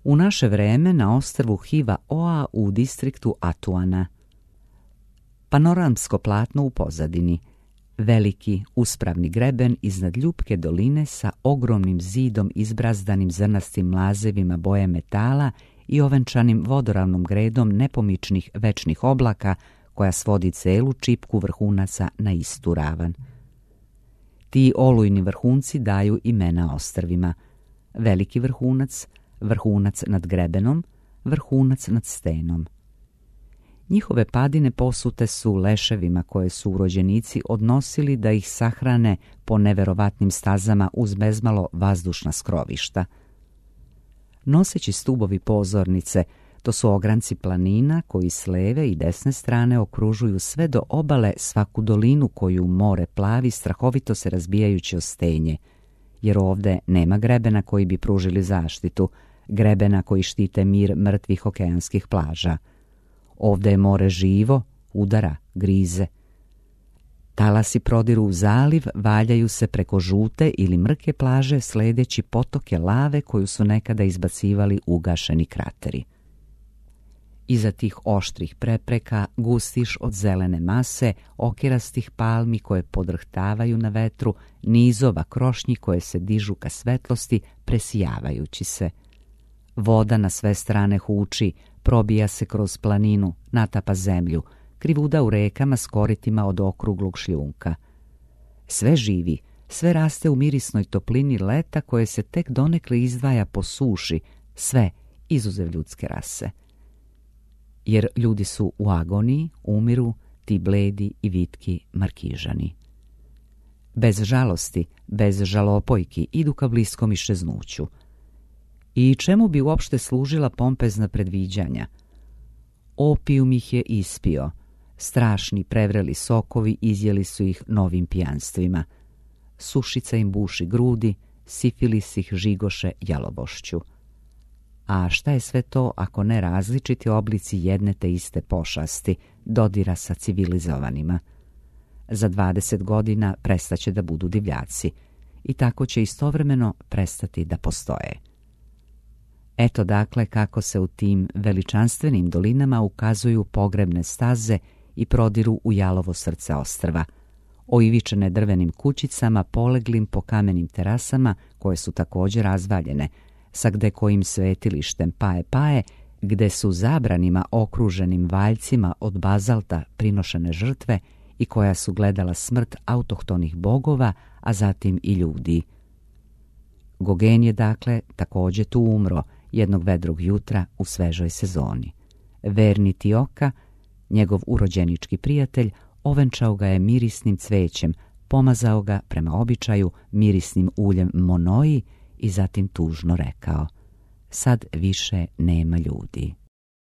u naše vreme na ostrvu Hiva Oa u distriktu Atuana. Panoramsko platno u pozadini, veliki uspravni greben iznad ljupke doline sa ogromnim zidom izbrazdanim zrnastim mlazevima boje metala i ovenčanim vodoravnom gredom nepomičnih večnih oblaka koja svodi celu čipku vrhunaca na istu ravan. Ti olujni vrhunci daju imena ostrvima. Veliki vrhunac, vrhunac nad grebenom, vrhunac nad stenom. Njihove padine posute su leševima koje su urođenici odnosili da ih sahrane po neverovatnim stazama uz bezmalo vazdušna skrovišta. Noseći stubovi pozornice, to su ogranci planina koji s leve i desne strane okružuju sve do obale svaku dolinu koju more plavi strahovito se razbijajući o stenje, jer ovde nema grebena koji bi pružili zaštitu, grebena koji štite mir mrtvih okeanskih plaža. Ovde je more živo, udara, grize. Talasi prodiru u zaliv, valjaju se preko žute ili mrke plaže sledeći potoke lave koju su nekada izbacivali ugašeni krateri. Iza tih oštrih prepreka gustiš od zelene mase, okerastih palmi koje podrhtavaju na vetru, nizova krošnji koje se dižu ka svetlosti, presijavajući se. Voda na sve strane huči, probija se kroz planinu, natapa zemlju, krivuda u rekama s koritima od okruglog šljunka. Sve živi, sve raste u mirisnoj toplini leta koje se tek donekle izdvaja po suši, sve izuzev ljudske rase. Jer ljudi su u agoniji, umiru, ti bledi i vitki markižani. Bez žalosti, bez žalopojki idu ka bliskom iščeznuću. I čemu bi uopšte služila pompezna predviđanja? Opijum ih je ispio, strašni prevreli sokovi izjeli su ih novim pijanstvima. Sušica im buši grudi, sifilis ih žigoše jalovošću. A šta je sve to ako ne različiti oblici jedne te iste pošasti, dodira sa civilizovanima? Za 20 godina prestaće da budu divljaci i tako će istovremeno prestati da postoje. Eto dakle kako se u tim veličanstvenim dolinama ukazuju pogrebne staze i prodiru u jalovo srce ostrva, oivičene drvenim kućicama poleglim po kamenim terasama koje su također razvaljene, sa gde kojim svetilištem paje, gde su zabranima okruženim valjcima od bazalta prinošene žrtve i koja su gledala smrt autohtonih bogova, a zatim i ljudi. Gogen je dakle također tu umro jednog vedrog jutra u svežoj sezoni. Verni Tioka, njegov urođenički prijatelj, ovenčao ga je mirisnim cvećem, pomazao ga prema običaju mirisnim uljem monoji i zatim tužno rekao: sad više nema ljudi.